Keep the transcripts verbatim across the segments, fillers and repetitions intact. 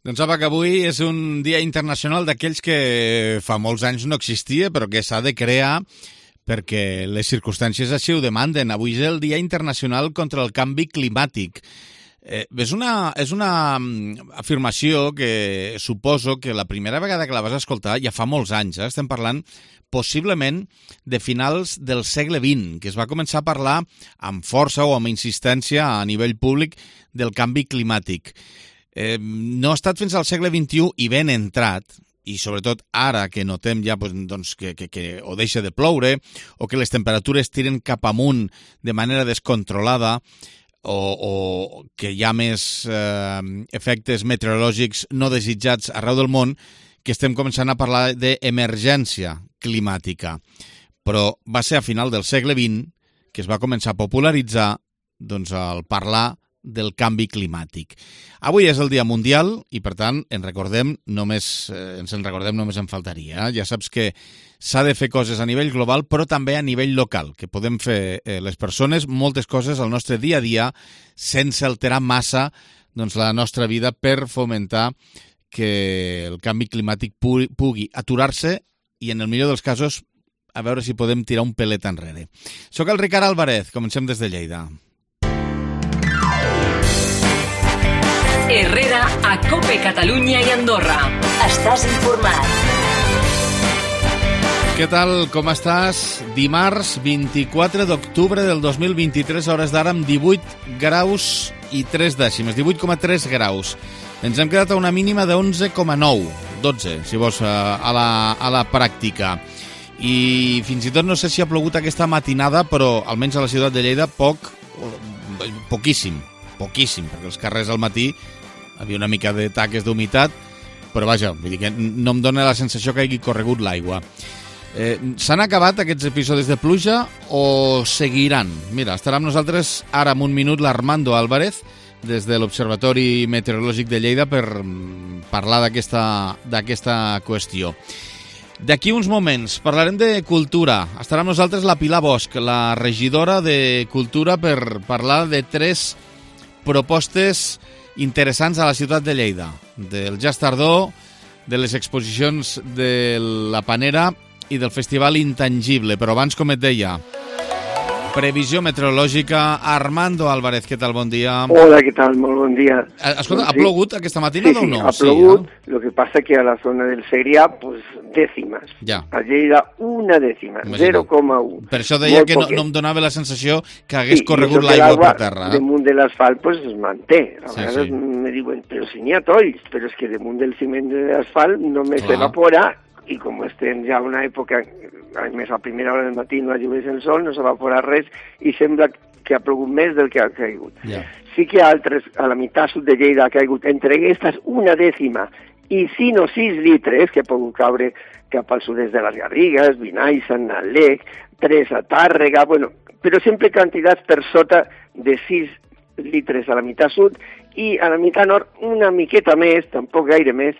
Doncs apa, que avui és un dia internacional d'aquells que fa molts anys no existia, però que s'ha de crear perquè les circumstàncies així ho demanden. Avui és el Dia Internacional contra el Canvi Climàtic. Eh, és, una, és una afirmació que suposo que la primera vegada que la vas escoltar ja fa molts anys. Eh? Estem parlant possiblement de finals del segle vint, que es va començar a parlar amb força o amb insistència a nivell públic del canvi climàtic. Eh, no ha estat fins al segle vint-i-u i ben entrat, i sobretot ara que notem ja doncs, que, que, que o deixa de ploure o que les temperatures tiren cap amunt de manera descontrolada o, o que hi ha més eh, efectes meteorològics no desitjats arreu del món, que estem començant a parlar d'emergència climàtica. Però va ser a final del segle vint que es va començar a popularitzar doncs, el parlar del canvi climàtic. Avui és el Dia Mundial i, per tant, en recordem només, eh, ens en recordem només en faltaria. Eh? Ja saps que s'ha de fer coses a nivell global, però també a nivell local, que podem fer eh, les persones moltes coses al nostre dia a dia sense alterar massa doncs, la nostra vida per fomentar que el canvi climàtic pugui, pugui aturar-se i, en el millor dels casos, a veure si podem tirar un pelet enrere. Soc el Ricard Álvarez, comencem des de Lleida. Herrera a COPE Catalunya i Andorra. Estàs informat. Què tal, com estàs? Dimarts vint-i-quatre d'octubre del dos mil vint-i-tres, hores d'ara amb divuit graus i tres dècimes, divuit coma tres graus. Ens hem quedat a una mínima de onze coma nou, dotze, si vols, a la, a la pràctica. I fins i tot no sé si ha plogut aquesta matinada, però almenys a la ciutat de Lleida poc, poquíssim, poquíssim, perquè els carrers al matí havia una mica de taques d'humitat, però vaja, vull dir que no em dóna la sensació que hagi corregut l'aigua. Eh, S'han acabat aquests episodis de pluja o seguiran? Mira, estarà amb nosaltres ara en un minut l'Armando Álvarez, des de l'Observatori Meteorològic de Lleida, per parlar d'aquesta d'aquesta qüestió. D'aquí uns moments parlarem de cultura. Estarà amb nosaltres la Pilar Bosch, la regidora de Cultura, per parlar de tres propostes interessants a la ciutat de Lleida, del Jazz Tardor, de les exposicions de la Panera i del Festival Intangible. Però abans, com et deia, previsió meteorològica. Armando Álvarez, què tal? Bon dia. Hola, què tal? Molt bon dia. Escolta, ha plogut aquesta matinada sí, sí, o no? ha plogut, sí, eh? Lo que pasa que a la zona del Segrià, pues, dècimes. Ja. A Lleida, una dècima, zero coma u. Per això deia Molt que no, poquet. no em donava la sensació que hagués Sí, corregut i l'aigua per terra. Eh? Damunt de l'asfalt, pues, es manté. A Sí, vegades sí. me diuen, però si n'hi ha tolls, però és que damunt del ciment de l'asfalt només Clar. s'evapora, i com estem ja en una època, a més a primera hora del matí no llueix el sol, no s'evapora res, i sembla que ha plogut més del que ha caigut. Ja. Sí que a altres, a la meitat sud de Lleida ha caigut entre aquestes una dècima i cinc o sis litres que ha pogut caure cap al sud-est de les Garrigues, Vinai, Sant Nalec, tres a Tàrrega, bueno, però sempre quantitats per sota de sis litres a la meitat sud i a la meitat nord una miqueta més, tampoc gaire més,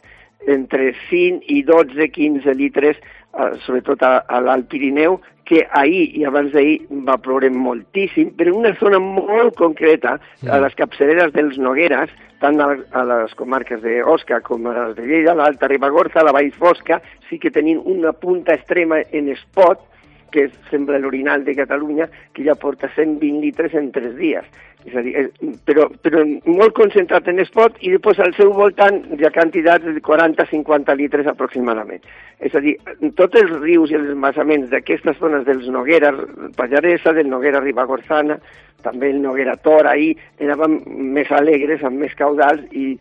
entre cinc i dotze quinze litres, eh, sobretot a, a l'Alt Pirineu, que ahir i abans d'ahir va ploure moltíssim, però en una zona molt concreta, a les capçaleres dels Nogueres, tant a, a les comarques d'Osca com a les de Lleida, l'Alta Ribagorça, la Vall Fosca, sí que tenim una punta extrema en Espot, que sembla l'orinal de Catalunya, que ja porta cent vint litres en tres dies. És a dir, però, però molt concentrat en Espot i després al seu voltant hi ha quantitats de quaranta a cinquanta litres aproximadament. És a dir, tots els rius i els embassaments d'aquestes zones dels Noguera Pallaresa, del Noguera Ribagorzana, també el Noguera Tor, ahir anaven més alegres, amb més caudals i,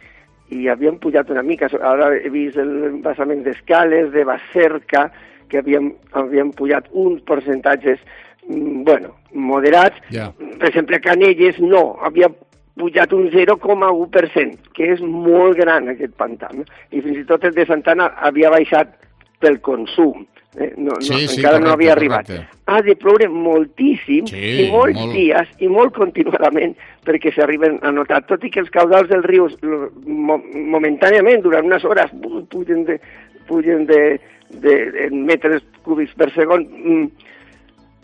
i havien pujat una mica. Ara he vist l'embassament d'Escales, de Bacerca, que havien, havien pujat uns percentatges, bueno, moderats. Ja. Per exemple, Canelles no, havia pujat un zero coma u per cent, que és molt gran aquest pantà. No? I fins i tot el de Santana havia baixat pel consum. Eh? No, no, Sí, sí, encara correcte, no havia arribat. correcte. Ha de ploure moltíssim Sí, i molts molt. dies i molt continuadament perquè s'arriben a notar, tot i que els caudals dels rius mo momentàniament, durant unes hores, pugen de, pugen de, de, de metres cúbics per segon,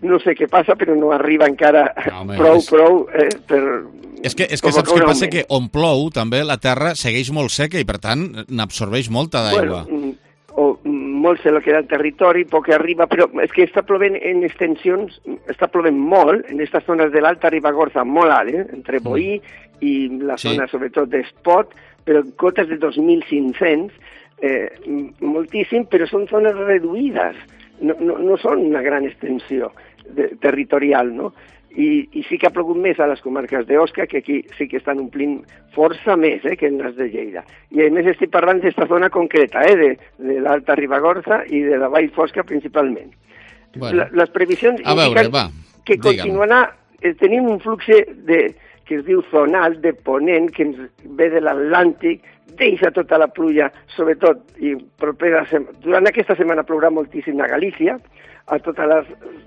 no sé què passa, però no arriba encara no, home, prou, és... prou eh, per... És que, és que saps què passa? Que on plou també la terra segueix molt seca i per tant n'absorbeix molta d'aigua. Bueno, o molt sé el que era el territori, poc arriba, però és que està plovent en extensions, està plovent molt en aquestes zones de l'Alta Ribagorça, molt alt, eh? Entre Boí mm. i la sí. zona sobretot d'Espot, però cotes de dos mil cinc-cents, eh, moltíssim, però són zones reduïdes, no, no, no són una gran extensió de, territorial, no? I, I sí que ha plogut més a les comarques d'Osca, que aquí sí que estan omplint força més eh, que en les de Lleida. I a més estic parlant d'aquesta zona concreta, eh, de, de l'Alta Ribagorça i de la Vall Fosca principalment. Bueno. La, les previsions a indiquen veure, va, que continuarà, eh, tenim un flux de, que es diu zonal, de ponent, que ens ve de l'Atlàntic, deixa tota la pluja, sobretot, i propera, durant aquesta setmana plourà moltíssim a Galícia, a tota la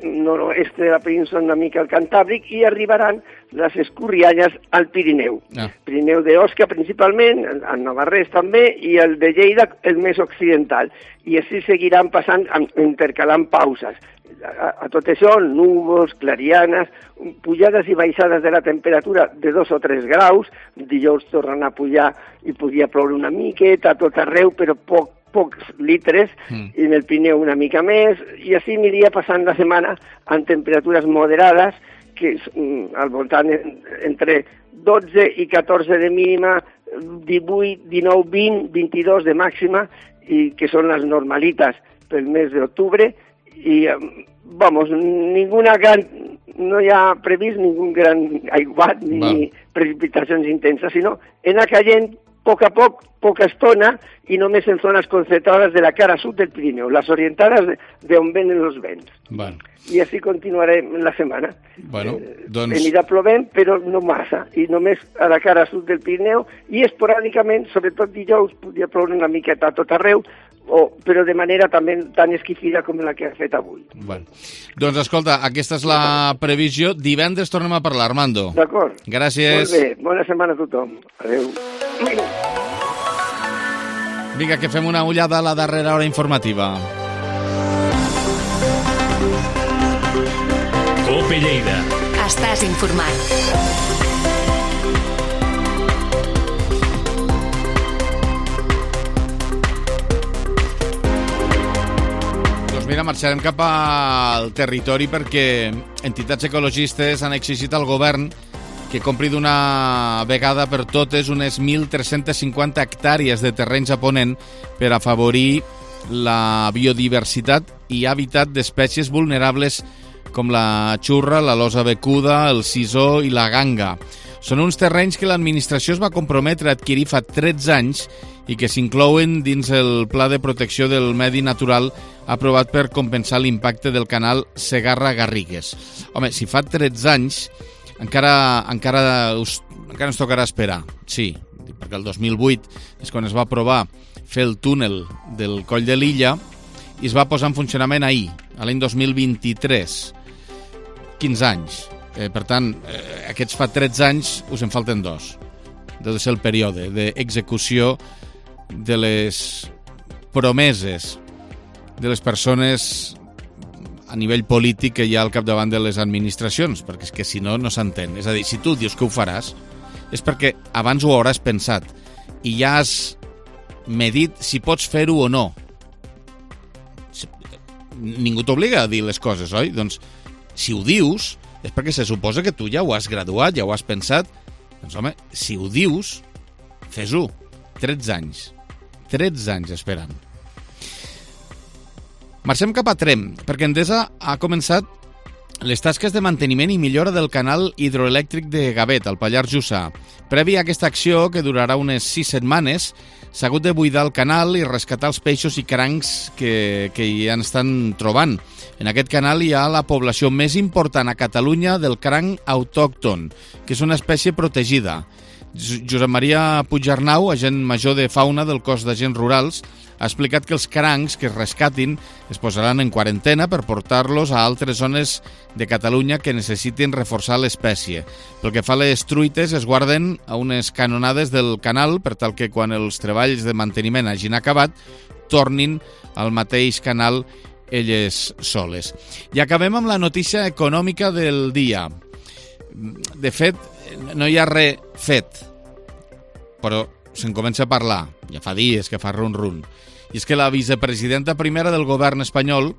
nord-oest de la península una mica al Cantàbric, i arribaran les escorrialles al Pirineu. Ah. Pirineu d'Osca principalment, el Navarrès també, i el de Lleida el més occidental. I així seguiran passant, intercalant pauses. A, a tot això, núvols, clarianes, pujades i baixades de la temperatura de dos o tres graus, dijous tornen a pujar i podria ploure una miqueta a tot arreu, però poc, pocs litres, mm. i en el Pirineu una mica més, i així aniria passant la setmana amb temperatures moderades, que és mm, al voltant entre dotze i catorze de mínima, divuit, dinou, vint, vint-i-dos de màxima, i que són les normalites pel mes d'octubre, i, vamos, ninguna gran, no hi ha previst ningun gran aiguat ni Val. precipitacions intenses, sinó anar caient a poc a poc, poca estona, i només en zones concentrades de la cara sud del Pirineu, les orientades d'on venen els vents. Bueno. I així continuarem la setmana. Bueno, doncs... Eh, anirà plovent, però no massa, i només a la cara sud del Pirineu, i esporàdicament, sobretot dijous, podria ploure una miqueta a tot arreu, o, però de manera també tan esquifida com la que ha fet avui. Bueno. Doncs escolta, aquesta és la previsió. Divendres tornem a parlar, Armando. D'acord. Gràcies. Molt bé, bona setmana a tothom. Adéu. Vinga, que fem una ullada a la darrera hora informativa. Cope Lleida. Estàs informat. Mira, marxarem cap al territori perquè entitats ecologistes han exigit al govern que compri d'una vegada per totes unes mil tres-centes cinquanta hectàrees de terrenys a Ponent per afavorir la biodiversitat i hàbitat d'espècies vulnerables com la xurra, la losa becuda, el sisó i la ganga. Són uns terrenys que l'administració es va comprometre a adquirir fa tretze anys i que s'inclouen dins el Pla de Protecció del Medi Natural aprovat per compensar l'impacte del canal Segarra-Garrigues. Home, si fa tretze anys, encara, encara, us, encara ens tocarà esperar. Sí, perquè el dos mil vuit és quan es va aprovar fer el túnel del Coll de Lilla i es va posar en funcionament ahir, a l'any dos mil vint-i-tres. quinze anys. Eh, per tant, eh, aquests fa tretze anys, us en falten dos. Deu de ser el període d'execució de les promeses de les persones a nivell polític que hi ha al capdavant de les administracions, perquè és que si no, no s'entén. És a dir, si tu dius que ho faràs, és perquè abans ho hauràs pensat i ja has medit si pots fer-ho o no. Ningú t'obliga a dir les coses, oi? Doncs, si ho dius, és perquè se suposa que tu ja ho has graduat, ja ho has pensat. Doncs, home, si ho dius, fes-ho. tretze anys. tretze anys esperant. Marxem cap a Tremp, perquè Endesa ha començat les tasques de manteniment i millora del canal hidroelèctric de Gavet, al Pallars Jussà. Previ a aquesta acció, que durarà unes sis setmanes, s'ha hagut de buidar el canal i rescatar els peixos i crancs que, que hi estan trobant. En aquest canal hi ha la població més important a Catalunya del cranc autòcton, que és una espècie protegida. Josep Maria Puigarnau, agent major de fauna del cos d'agents rurals, ha explicat que els crancs que es rescatin es posaran en quarantena per portar-los a altres zones de Catalunya que necessitin reforçar l'espècie. Pel que fa a les truites, es guarden a unes canonades del canal per tal que quan els treballs de manteniment hagin acabat, tornin al mateix canal elles soles. I acabem amb la notícia econòmica del dia. De fet, no hi ha res fet, però se'n comença a parlar. Ja fa dies que fa run-run. I és que la vicepresidenta primera del govern espanyol,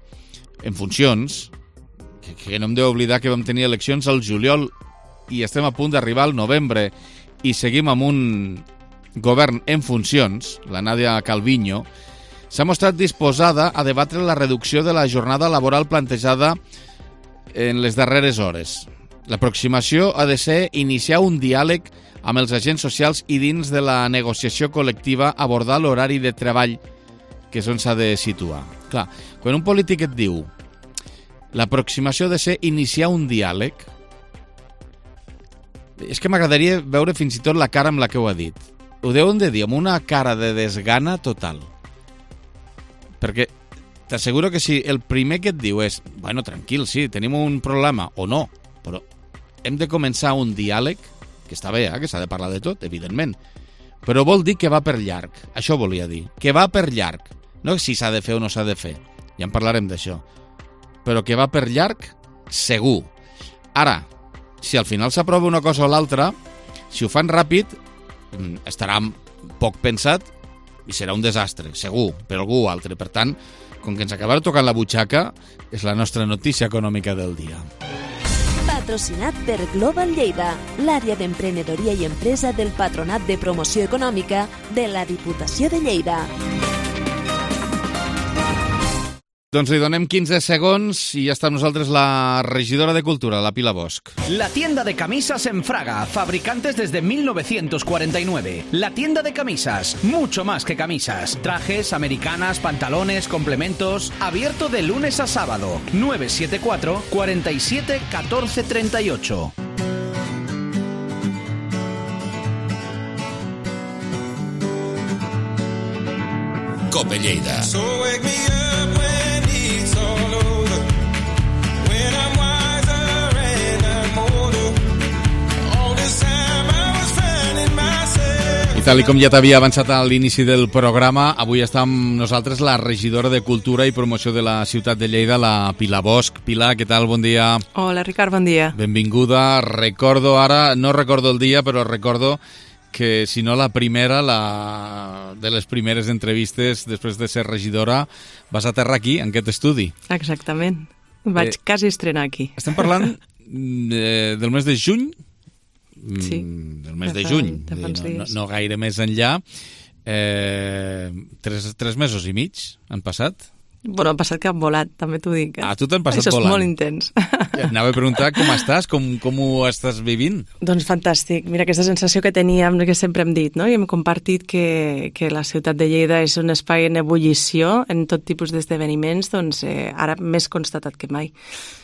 en funcions, que, que no em deu oblidar que vam tenir eleccions al juliol i estem a punt d'arribar al novembre i seguim amb un govern en funcions, la Nadia Calviño, s'ha mostrat disposada a debatre la reducció de la jornada laboral plantejada en les darreres hores. L'aproximació ha de ser iniciar un diàleg amb els agents socials i dins de la negociació col·lectiva abordar l'horari de treball, que és on s'ha de situar. Clar, quan un polític et diu l'aproximació ha de ser iniciar un diàleg, és que m'agradaria veure fins i tot la cara amb la que ho ha dit. Ho deuen de dir amb una cara de desgana total. Perquè t'asseguro que si el primer que et diu és bueno, tranquil, sí, tenim un problema, o no, però hem de començar un diàleg, que està bé, eh, que s'ha de parlar de tot, evidentment, però vol dir que va per llarg. Això volia dir, que va per llarg. No si s'ha de fer o no s'ha de fer, ja en parlarem d'això, però que va per llarg, segur. Ara, si al final s'aprova una cosa o l'altra, si ho fan ràpid, estarà poc pensat i serà un desastre, segur, per algú o altre. Per tant, com que ens acabarà tocant la butxaca, és la nostra notícia econòmica del dia. Patrocinat per Global Lleida, l'àrea d'emprenedoria i empresa del Patronat de Promoció Econòmica de la Diputació de Lleida. Doncs li donem quinze segons i ja està amb nosaltres la regidora de Cultura, la Pilar Bosch. La tienda de camisas en Fraga, fabricantes desde mil novecientos cuarenta y nueve. La tienda de camisas, mucho más que camisas. Trajes, americanas, pantalones, complementos. Abierto de lunes a sábado. nueve siete cuatro, cuarenta y siete, catorce treinta y ocho. Cope Lleida. So wake me up when it's all over, when I'm wiser and I'm older. All this time I was finding myself. I tal i com ja t'havia avançat a l'inici del programa, avui està amb nosaltres la regidora de Cultura i Promoció de la ciutat de Lleida, la Pilar Bosch. Pilar, què tal? Bon dia. Hola, Ricard, bon dia. Benvinguda. Recordo ara, no recordo el dia, però recordo que si no la primera, la de les primeres entrevistes després de ser regidora, vas aterrar aquí, en aquest estudi. Exactament. Vaig eh, quasi estrenar aquí. Estem parlant eh, del mes de juny? Sí. Del mes de, de juny, no, no, no gaire més enllà. Eh, tres, tres mesos i mig han passat. Bueno, han passat que han volat, també t'ho dic. Eh? Ah, tu t'han passat Això volant. Això és molt intens. Anava a preguntar com estàs, com, com ho estàs vivint. Doncs fantàstic. Mira, aquesta sensació que teníem, que sempre hem dit, no? I hem compartit que, que la ciutat de Lleida és un espai en ebullició en tot tipus d'esdeveniments, doncs eh, ara més constatat que mai.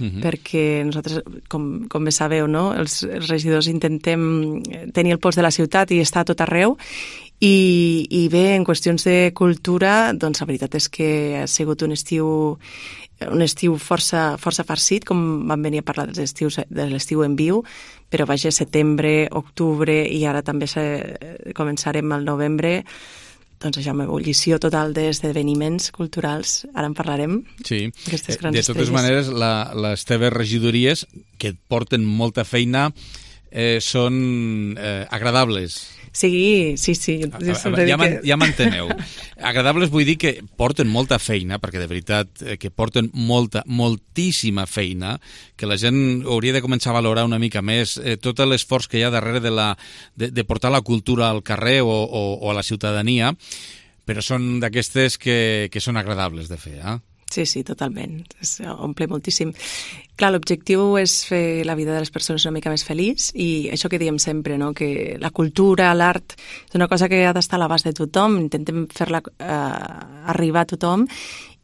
Uh-huh. Perquè nosaltres, com, com bé sabeu, no? els, els regidors intentem tenir el pols de la ciutat i estar a tot arreu. I, i bé, en qüestions de cultura, doncs la veritat és que ha sigut un estiu un estiu força, força farcit, com vam venir a parlar dels estius, de l'estiu en viu, però vaja, setembre, octubre i ara també se, començarem al novembre, doncs això, amb ebullició total d'esdeveniments culturals, ara en parlarem. Sí, aquestes grans de totes estrelles. maneres, la, les teves regidories, que et porten molta feina, eh, són eh, agradables. Sí, sí, sí. Jo ja que... ja m'enteneu. Agradables vull dir que porten molta feina, perquè de veritat que porten molta, moltíssima feina, que la gent hauria de començar a valorar una mica més eh, tot l'esforç que hi ha darrere de, la, de, de portar la cultura al carrer o, o, o a la ciutadania, però són d'aquestes que, que són agradables de fer, eh? Sí, sí, totalment. Es omple moltíssim. Clar, l'objectiu és fer la vida de les persones una mica més feliç i això que diem sempre, no? Que la cultura, l'art, és una cosa que ha d'estar a l'abast de tothom, intentem fer-la eh, arribar a tothom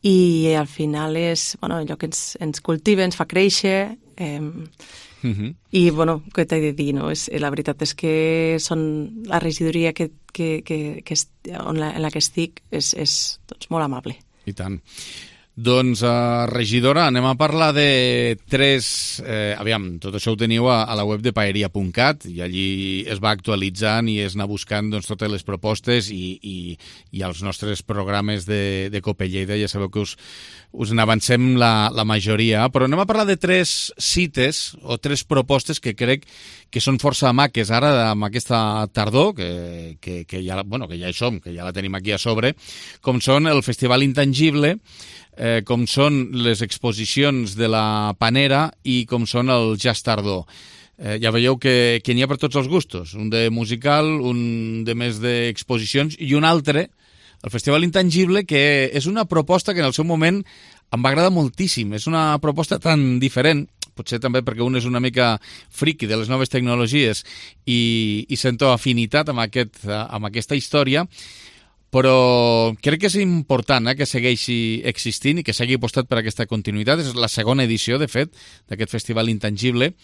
i al final és bueno, allò que ens, ens cultiva, ens fa créixer eh, uh-huh. i bueno, què t'he de dir, no? És, la veritat és que són la regidoria que, que, que, que est, on la, en la que estic és, és doncs, molt amable. I tant. Doncs, uh, regidora, anem a parlar de tres... Eh, aviam, tot això ho teniu a, a la web de paeria punt cat i allí es va actualitzant i es anar buscant doncs, totes les propostes i, i, i els nostres programes de, de Cope Lleida. Ja sabeu que us, us n'avancem la, la majoria, però anem a parlar de tres cites o tres propostes que crec que són força maques ara amb aquesta tardor, que, que, que, ja, bueno, que ja hi som, que ja la tenim aquí a sobre, com són el Festival Intangible, eh, com són les exposicions de la Panera i com són el Jazz Tardor. Eh, ja veieu que, que n'hi ha per tots els gustos, un de musical, un de més d'exposicions i un altre, el Festival Intangible, que és una proposta que en el seu moment em va agradar moltíssim. És una proposta tan diferent, potser també perquè un és una mica friki de les noves tecnologies i, i sento afinitat amb, aquest, amb aquesta història, però crec que és important eh, que segueixi existint i que s'hagi apostat per aquesta continuïtat. És la segona edició, de fet, d'aquest Festival Intangible,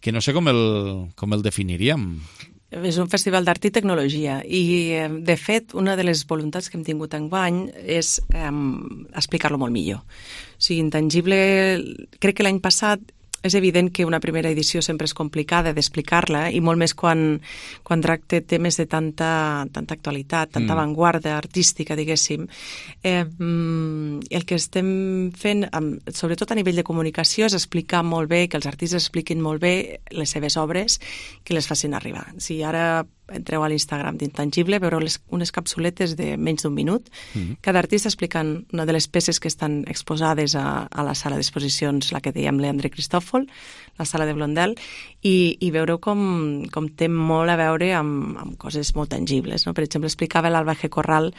que no sé com el, com el definiríem. És un festival d'art i tecnologia i, de fet, una de les voluntats que hem tingut enguany és um, explicar-lo molt millor. O sigui, Intangible, crec que l'any passat és evident que una primera edició sempre és complicada d'explicar-la i molt més quan, quan tracta temes de tanta, tanta actualitat, tanta mm. avantguarda artística, diguéssim. Eh, el que estem fent, sobretot a nivell de comunicació, és explicar molt bé, que els artistes expliquin molt bé les seves obres, que les facin arribar. Si ara entreu a l'Instagram d'Intangible, veureu les, unes capsuletes de menys d'un minut, mm-hmm. cada artista explicant una de les peces que estan exposades a, a la sala d'exposicions, la que dèiem Leandre Cristòfol, la sala de Blondel, i, i veureu com, com té molt a veure amb, amb coses molt tangibles. No? Per exemple, explicava l'Alba G. Corral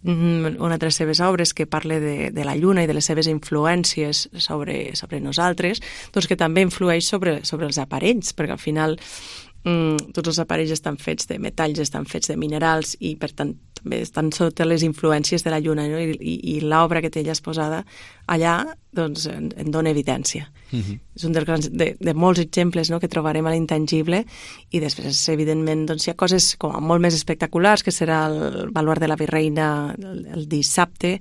una de les seves obres que parla de, de la lluna i de les seves influències sobre, sobre nosaltres, doncs que també influeix sobre, sobre els aparells, perquè al final Mm, tots els aparells estan fets de metalls, estan fets de minerals i per tant també estan sota les influències de la lluna, no? I, i, i l'obra que té ella exposada allà doncs en, en dona evidència. Uh-huh. És un dels grans, de, de molts exemples, no?, que trobarem a l'Intangible i després evidentment doncs, hi ha coses com molt més espectaculars, que serà el Baluard de la Virreina el, el dissabte,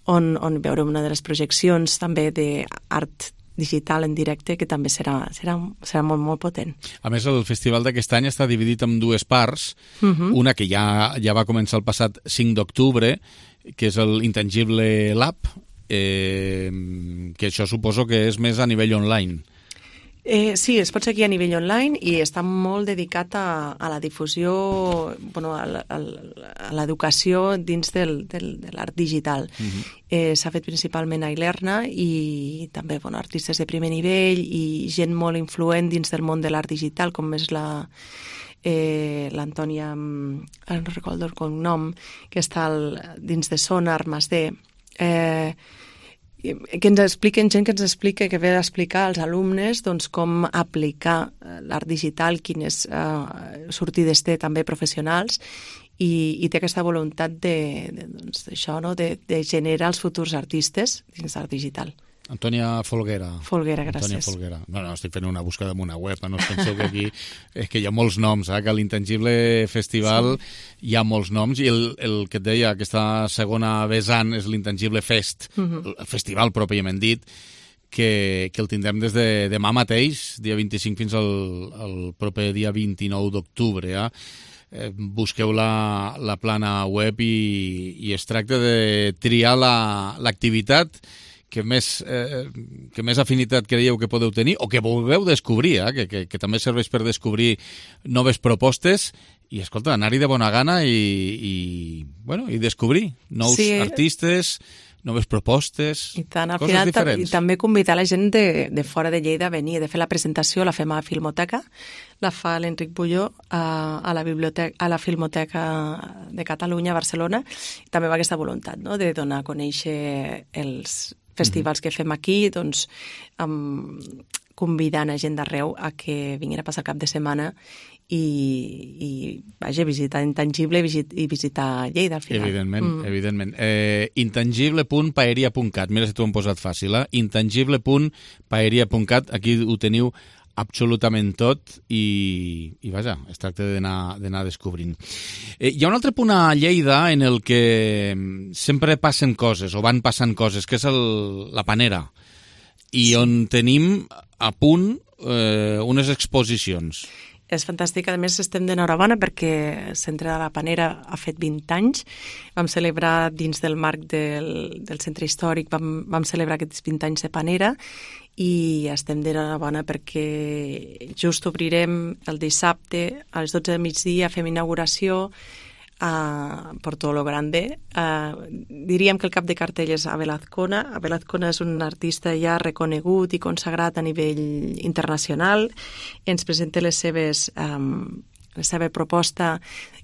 on, on veurem una de les projeccions també d'art digital en directe, que també serà, serà, serà molt, molt potent. A més, el festival d'aquest any està dividit en dues parts, uh-huh. una que ja, ja va començar el passat cinc d'octubre, que és el Intangible Lab, eh, que això suposo que és més a nivell online. Eh, sí, es pot seguir a nivell online i està molt dedicat a, a la difusió, bueno, a, a, a l'educació dins del, del, de l'art digital. Uh-huh. eh, s'ha fet principalment a Ilerna i també bueno, artistes de primer nivell i gent molt influent dins del món de l'art digital, com és la eh, l'Antònia, no recordo el cognom, que està al, dins de Sonar, Masdé, eh, que ens expliquen, gent que ens explica, que ve a explicar als alumnes doncs, com aplicar l'art digital, quines uh, sortides té també professionals i, i té aquesta voluntat de, de, doncs, d'això, no? de, de generar els futurs artistes dins l'art digital. Antònia Folguera. Folguera, gràcies. Antònia Folguera. No, no, estic fent una búsqueda en una web, no us penseu que aquí és que hi ha molts noms, eh? Que a l'Intangible Festival sí. hi ha molts noms i el, el que et deia, aquesta segona vessant és l'Intangible Fest, uh-huh. el festival pròpiament dit, que, que el tindrem des de demà mateix, dia vint-i-cinc fins al, al proper dia vint-i-nou d'octubre, eh? Eh, busqueu la, la plana web i, i es tracta de triar la, l'activitat que més, eh, que més afinitat creieu que podeu tenir o que vulgueu descobrir, eh? que, que, que també serveix per descobrir noves propostes i, escolta, anar-hi de bona gana i, i, bueno, i descobrir nous sí. artistes, noves propostes, I tant, al coses final, diferents. I també convidar la gent de, de fora de Lleida a venir. De fer la presentació la fem a la Filmoteca, la fa l'Enric Bulló a, a, la biblioteca, a la Filmoteca de Catalunya, a Barcelona. I també va aquesta voluntat, no?, de donar a conèixer els festivals que fem aquí, doncs, um, convidant a gent d'arreu a que vinguin a passar el cap de setmana i, i vaja, visitar Intangible i visitar Lleida, al final. Evidentment, mm. evidentment. Eh, intangible punt paeria punt cat. Mira si t'ho hem posat fàcil, eh? intangible punt paeria punt cat. Aquí ho teniu absolutament tot i, i vaja, es tracta d'anar d'anar descobrint. Eh, hi ha un altre punt a Lleida en el que sempre passen coses, o van passant coses, que és el, la Panera, i on tenim a punt eh, unes exposicions. És fantàstic. A més, estem d'enhorabona perquè el Centre de la Panera ha fet vint anys. Vam celebrar dins del marc del, del centre històric, vam, vam celebrar aquests vint anys de Panera i estem d'enhorabona perquè just obrirem el dissabte a les dotze del migdia, fem inauguració a Porto lo Grande. Uh, diríem que el cap de cartell és Abel Azcona. Abel Azcona és un artista ja reconegut i consagrat a nivell internacional. Ens presenta les seves, um, la seva proposta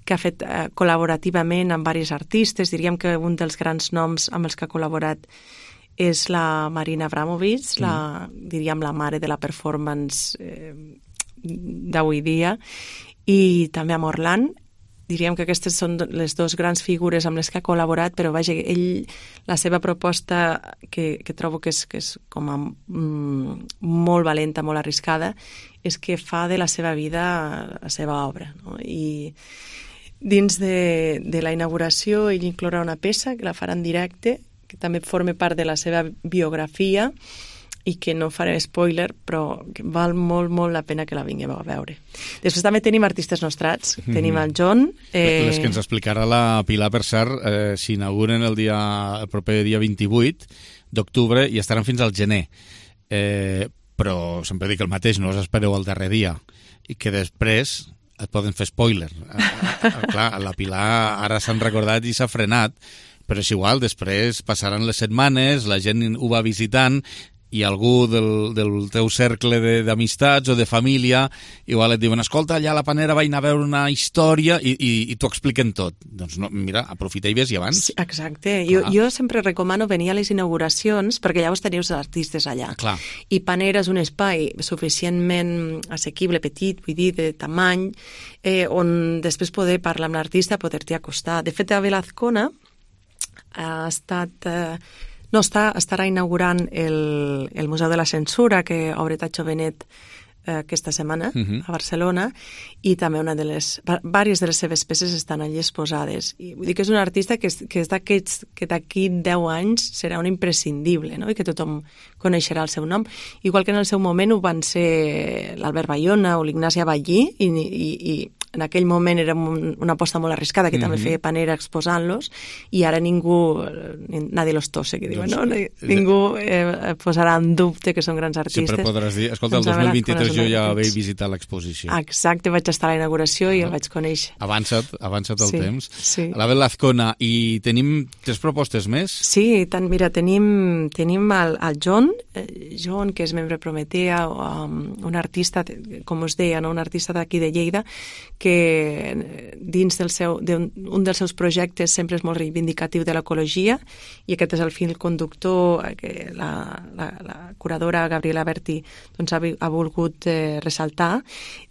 que ha fet uh, col·laborativament amb diversos artistes. Diríem que un dels grans noms amb els que ha col·laborat és la Marina Abramovic, mm. la, diríem la mare de la performance eh, d'avui dia, i també amb Orlan. Diríem que aquestes són les dues grans figures amb les que ha col·laborat, però vaja, ell, la seva proposta, que, que trobo que és, que és com a, mm, molt valenta, molt arriscada, és que fa de la seva vida la seva obra, no? I dins de, de la inauguració ell inclourà una peça que la farà en directe, que també forma part de la seva biografia, i que no faré spoiler, però que val molt, molt la pena que la vinguem a veure. Després també tenim artistes nostrats. Mm-hmm. Tenim el John. Eh... Les que ens explicarà la Pilar, per cert, eh, s'inauguren el, dia, el proper dia vint-i-vuit d'octubre i estaran fins al gener. Eh, però sempre dic el mateix, no us espereu el darrer dia. I que després et poden fer spoiler. A, a, a, clar, la Pilar ara s'han recordat i s'ha frenat, però és igual, després passaran les setmanes, la gent ho va visitant, i algú del, del teu cercle d'amistats o de família igual et diuen, escolta, allà a la Panera vaig anar a veure una història i, i, i t'ho expliquen tot. Doncs no, mira, aprofita i ves-hi abans. Sí, exacte. Jo, jo sempre recomano venir a les inauguracions perquè llavors teniu els artistes allà. Clar. I Panera és un espai suficientment assequible, petit, vull dir, de tamany, eh, on després poder parlar amb l'artista, poder-t'hi acostar. De fet, Abel Azcona ha estat... Eh, No, està, estarà inaugurant el, el Museu de la Censura, que obre Tacho Benet eh, aquesta setmana uh-huh. a Barcelona, i també una de les, diverses de les seves peces estan allí exposades. I vull dir que és un artista que és, que és d'aquests que d'aquí deu anys serà un imprescindible, no? I que tothom coneixerà el seu nom. Igual que en el seu moment ho van ser l'Albert Bayona o l'Ignasi Aballí, i, i, i en aquell moment era un, una aposta molt arriscada, que mm-hmm. també feia Panera exposant-los, i ara ningú, nadie los tose, que diuen, doncs, no? Ningú eh, posarà en dubte que són grans artistes. Sempre podràs dir, escolta, el dos mil vint-i-tres jo ja vaig visitar l'exposició. Exacte, vaig estar a la inauguració i el vaig conèixer. Avança't, avança't el sí, temps. Sí. L'Abel Azcona, i tenim tres propostes més? Sí, tant, mira, tenim, tenim el, el John, eh, John, que és membre Prometea, um, un artista, com us deia, no? Un artista d'aquí de Lleida, que dins del seu, d'un, un dels seus projectes sempre és molt reivindicatiu de l'ecologia, i aquest és el fil conductor que la, la, la curadora Gabriela Berti doncs, ha, ha volgut eh, ressaltar.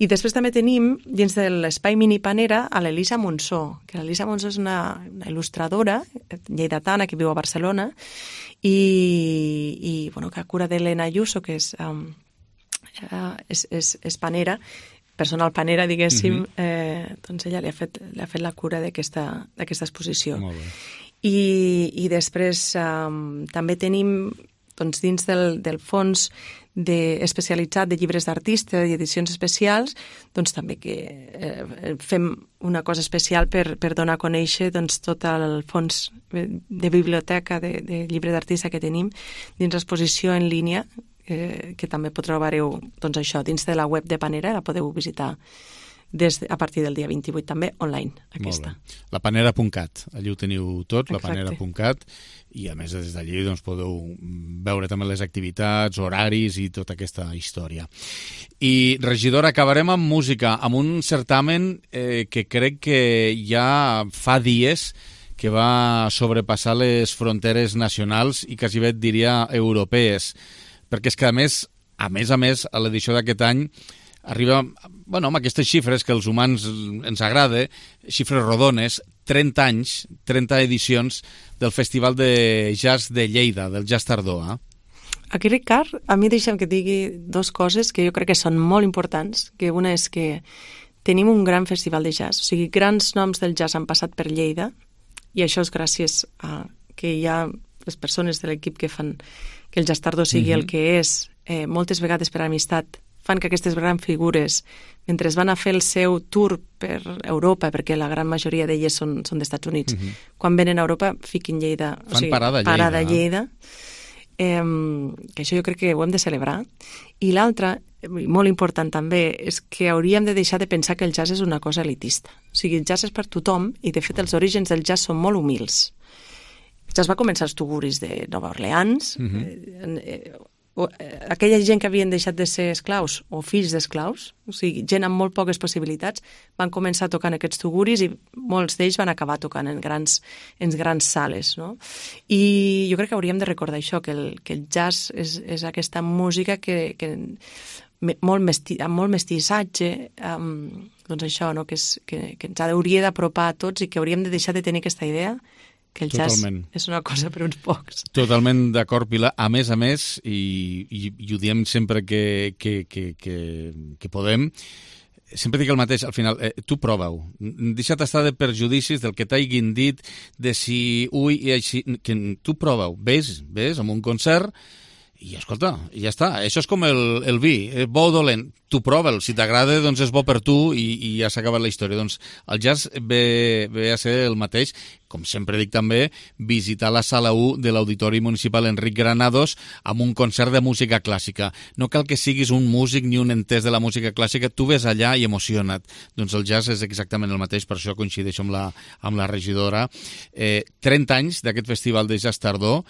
I després també tenim dins de l'espai Mini Panera a l'Elisa Monsó, que l'Elisa Monsó és una, una il·lustradora lleidatana que viu a Barcelona i, i bueno, que a cura d'Helena Ayuso, que és, um, uh, és, és, és panera, personal panera, diguéssim, mm-hmm. eh, doncs ella li ha fet, li ha fet la cura d'aquesta exposició. Molt bé. I, i després um, també tenim doncs, dins del, del fons de, especialitzat de llibres d'artista i edicions especials, doncs també que eh, fem una cosa especial per, per donar a conèixer doncs, tot el fons de biblioteca de, de llibre d'artista que tenim dins l'exposició en línia, Eh, que també trobareu doncs això, dins de la web de Panera, la podeu visitar des de, a partir del dia vint-i-vuit també online, aquesta. La panera punt cat, allí ho teniu tot, Exacte. la panera punt cat, i a més des d'allí doncs, podeu veure també les activitats, horaris i tota aquesta història. I, regidora, acabarem amb música, amb un certamen eh, que crec que ja fa dies que va sobrepassar les fronteres nacionals i quasi bé et diria europees, perquè és que, a més, a més a més, a l'edició d'aquest any arriba, bueno, amb aquestes xifres que els humans ens agrada, xifres rodones, trenta anys, trenta edicions del Festival de Jazz de Lleida, del Jazz Tardor, eh? Aquí, Ricard, a mi deixa'm que et digui dues coses que jo crec que són molt importants, que una és que tenim un gran festival de jazz, o sigui, grans noms del jazz han passat per Lleida, i això és gràcies a que hi ha les persones de l'equip que fan que el Jazz Tardó sigui mm-hmm. el que és, eh, moltes vegades per amistat, fan que aquestes grans figures, mentre van a fer el seu tour per Europa, perquè la gran majoria d'elles són, són d'Estats Units, mm-hmm. quan venen a Europa, fiquin Lleida, fan o sigui, parada a Lleida. Parada a Lleida. Eh, que això jo crec que ho hem de celebrar. I l'altra, molt important també, és que hauríem de deixar de pensar que el jazz és una cosa elitista. O sigui, el jazz és per tothom, i de fet els orígens del jazz són molt humils. El jazz va començar als tuguris de Nova Orleans, mm-hmm. eh, eh, aquella gent que havien deixat de ser esclaus o fills d'esclaus, o sigui, gent amb molt poques possibilitats, van començar a tocar en aquests tuguris i molts d'ells van acabar tocant en grans, en grans sales, no? I jo crec que hauríem de recordar això, que el, que el jazz és, és aquesta música que, que molt mesti, amb molt mestissatge, um, doncs això, no? que, és, que, que ens hauria d'apropar a tots i que hauríem de deixar de tenir aquesta idea que el Totalment. jazz és una cosa per uns pocs. Totalment d'acord, Pilar. A més a més, i, i, i ho diem sempre que, que, que, que, que podem, sempre dic el mateix, al final, eh, tu prova-ho. Deixa't estar de perjudicis del que t'hagin dit, de si ui i així, que tu prova-ho. Ves, ves amb un concert i escolta, ja està. Això és com el, el vi, eh, bo o dolent. Tu prova'l, si t'agrada, doncs és bo per tu i, i ja s'ha acabat la història. Doncs el jazz ve, ve a ser el mateix, com sempre dic també, visitar la sala u de l'Auditori Municipal Enric Granados amb un concert de música clàssica. No cal que siguis un músic ni un entès de la música clàssica, tu ves allà i emociona't. Doncs el jazz és exactament el mateix, per això coincideixo amb la, amb la regidora. Eh, trenta anys d'aquest festival de Jazz Tardó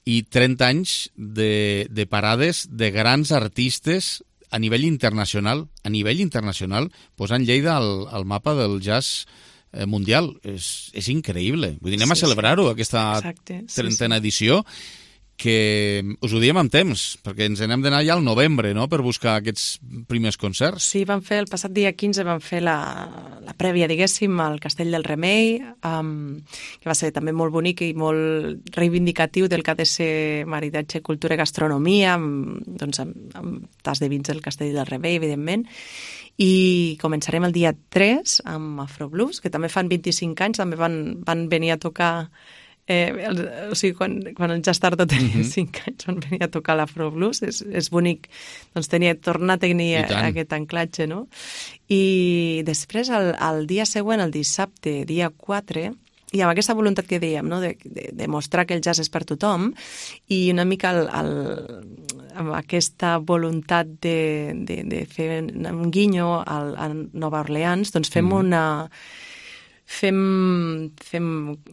i trenta anys de, de parades de grans artistes a nivell internacional, a nivell internacional, posant Lleida al, al mapa del jazz eh, mundial. És, és increïble. Vull dir, anem sí, a celebrar-ho, sí. aquesta Exacte, trentena sí, sí. edició, que us ho diem amb temps, perquè ens n'hem d'anar ja al novembre, no?, per buscar aquests primers concerts. Sí, vam fer, el passat dia quinze vam fer la, la prèvia, diguéssim, al Castell del Remei, um, que va ser també molt bonic i molt reivindicatiu del que ha de ser maridatge cultura i gastronomia, amb, doncs, amb, amb tas de vins del Castell del Remei, evidentment, i començarem el dia tres amb Afroblues, que també fan vint-i-cinc anys, també van, van venir a tocar... Eh, el, o sigui, quan, quan el Jazz Tardó tenia mm-hmm. cinc anys van venir a tocar l'Afroblues, és, és bonic doncs tenia, tornar a tenir aquest anclatge, no? I després el, el dia següent, el dissabte, dia quatre, i amb aquesta voluntat que dèiem, no? de, de, de mostrar que el jazz és per tothom, i una mica el, el, amb aquesta voluntat de, de, de fer un guinyo al, a Nova Orleans, doncs fem mm. una Fem, fem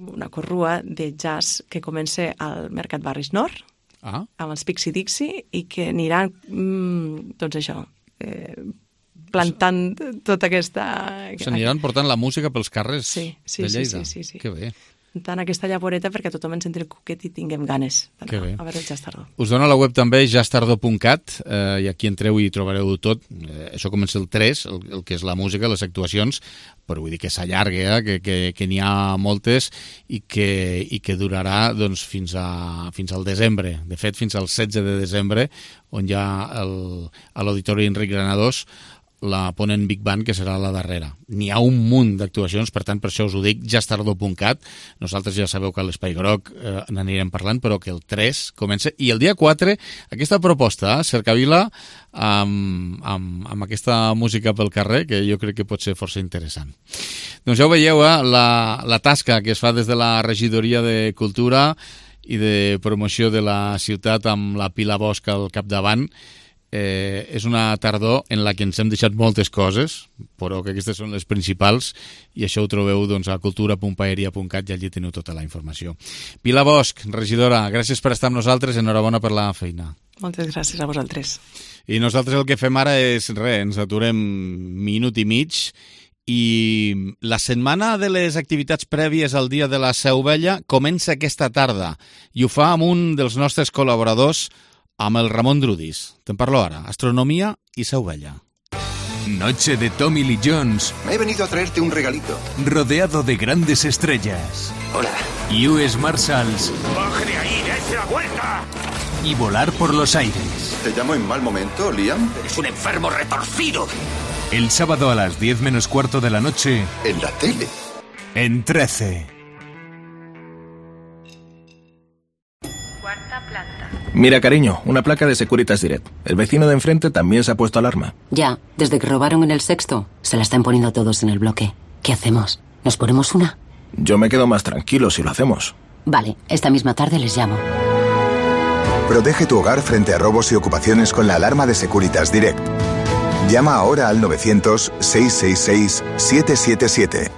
una corrua de jazz que comença al Mercat Barris Nord, ah. amb els Pixie Dixie, i que aniran, mm, doncs això, eh, plantant tota aquesta... S'aniran portant la música pels carrers sí, sí, de Lleida. Sí, sí, sí, sí. Que bé. Tant aquesta llavoreta perquè tothom ens entri el cuquet i tinguem ganes d'anar a veure el Jazz Tardó. Us dono la web també, jazz tardó punt cat, eh, i aquí entreu i trobareu tot. Eh, això comença el tres, el, el que és la música, les actuacions, però vull dir que s'allarga, eh, que, que, que n'hi ha moltes i que, i que durarà doncs, fins, a, fins al desembre. De fet, fins al setze de desembre, on hi ha el, a l'Auditori Enric Granados la Ponent Big Band, que serà la darrera. N'hi ha un munt d'actuacions, per tant, per això us ho dic, jazz tardó punt cat. Nosaltres ja sabeu que a l'Espai Groc eh, n'anirem parlant, però que el tres comença. I el dia quatre, aquesta proposta, eh, Cercavila, amb, amb, amb aquesta música pel carrer, que jo crec que pot ser força interessant. Doncs ja ho veieu, eh, la, la tasca que es fa des de la Regidoria de Cultura i de Promoció de la ciutat amb la Pilar Bosch al capdavant. Eh, és una tardor en la que ens hem deixat moltes coses, però que aquestes són les principals, i això ho trobeu doncs, a cultura punt paeria punt cat i allí teniu tota la informació. Pilar Bosch, regidora, gràcies per estar amb nosaltres, enhorabona per la feina. Moltes gràcies a vosaltres. I nosaltres el que fem ara és res, ens aturem minut i mig, i la setmana de les activitats prèvies al Dia de la Seu Vella comença aquesta tarda, i ho fa amb un dels nostres col·laboradors, amb el Ramon Drudis. Te'n parlo ara. Astronomía y Seu Vella. Noche de Tommy Lee Jones. He venido a traerte un regalito. Rodeado de grandes estrellas. Hola. U S Marshals. ¡Baje de ahí! ¡Dése la vuelta! y volar por los aires. ¿Te llamo en mal momento, Liam? Eres un enfermo retorcido. El sábado a las diez menos cuarto de la noche, En la tele. en trece. Mira, cariño, una placa de Securitas Direct. El vecino de enfrente también se ha puesto alarma. Ya, desde que robaron en el sexto, se la están poniendo todos en el bloque. ¿Qué hacemos? ¿Nos ponemos una? Yo me quedo más tranquilo si lo hacemos. Vale, esta misma tarde les llamo. Protege tu hogar frente a robos y ocupaciones con la alarma de Securitas Direct. Llama ahora al novecientos, seiscientos sesenta y seis, setecientos setenta y siete.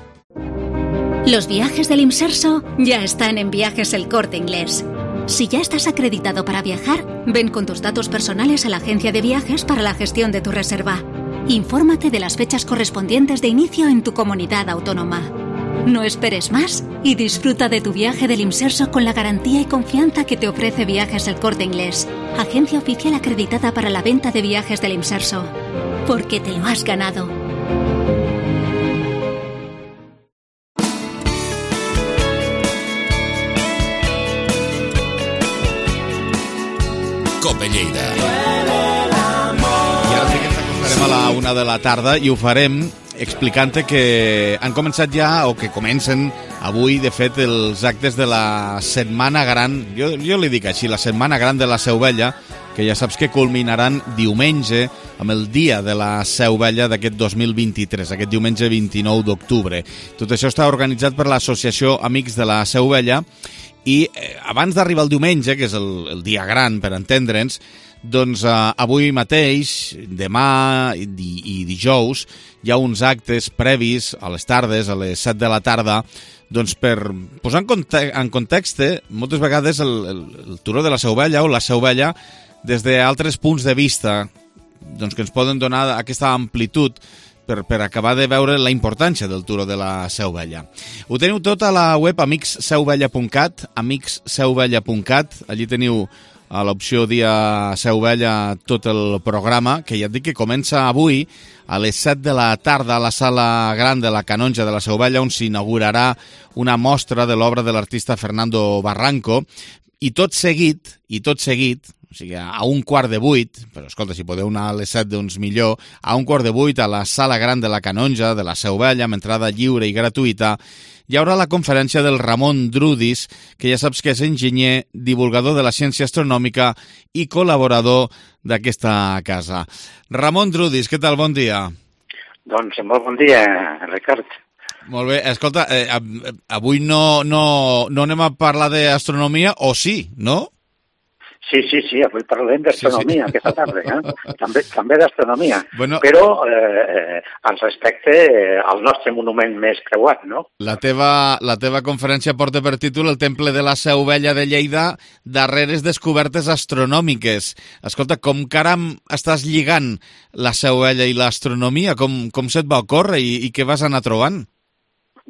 Los viajes del Imserso ya están en Viajes El Corte Inglés. Si ya estás acreditado para viajar, ven con tus datos personales a la agencia de viajes para la gestión de tu reserva. Infórmate de las fechas correspondientes de inicio en tu comunidad autónoma. No esperes más y disfruta de tu viaje del Imserso con la garantía y confianza que te ofrece Viajes El Corte Inglés, agencia oficial acreditada para la venta de viajes del Imserso. Porque te lo has ganado. Cope Lleida. I ara sí que ens acostarem a la una de la tarda i ho farem explicant que han començat ja, o que comencen avui, de fet, els actes de la Setmana Gran, jo, jo li dic així, la Setmana Gran de la Seu Vella, que ja saps que culminaran diumenge amb el dia de la Seu Vella d'aquest dos mil vint-i-tres, aquest diumenge vint-i-nou d'octubre. Tot això està organitzat per l'Associació Amics de la Seu Vella i eh, abans d'arribar el diumenge, que és el, el dia gran per entendre'ns, doncs eh, avui mateix, demà i, i dijous, hi ha uns actes previs a les tardes, a les set de la tarda, doncs per posar en, conte en context, moltes vegades el, el, el Turó de la Seu Vella o la Seu Vella, des d'altres punts de vista, doncs que ens poden donar aquesta amplitud per, per acabar de veure la importància del Turó de la Seu Vella. Ho teniu tot a la web amics seu vella punt cat, amics seu vella punt cat, allí teniu a l'opció dia Seu Vella tot el programa, que ja et dic que comença avui a les set de la tarda a la sala gran de la Canonja de la Seu Vella, on s'inaugurarà una mostra de l'obra de l'artista Fernando Barranco, i tot seguit, i tot seguit, o sigui, a un quart de vuit, però escolta, si podeu anar a les set, doncs millor, a un quart de vuit a la sala gran de la Canonja de la Seu Vella, amb entrada lliure i gratuïta, hi haurà la conferència del Ramon Drudis, que ja saps que és enginyer, divulgador de la ciència astronòmica i col·laborador d'aquesta casa. Ramon Drudis, què tal? Bon dia. Doncs molt bon dia, Ricard. Molt bé. Escolta, eh, avui no, no, no anem a parlar d'astronomia, o sí, no? Sí, sí, sí, avui parlem d'astronomia, sí, sí. Aquesta tarda, eh? També, també d'astronomia, bueno, però eh, al respecte al nostre monument més creuat, no? La teva, la teva conferència porta per títol El Temple de la Seu Vella de Lleida, darreres descobertes astronòmiques. Escolta, com caram estàs lligant la Seu Vella i l'astronomia? Com, com se't va ocórrer i, i què vas anar trobant?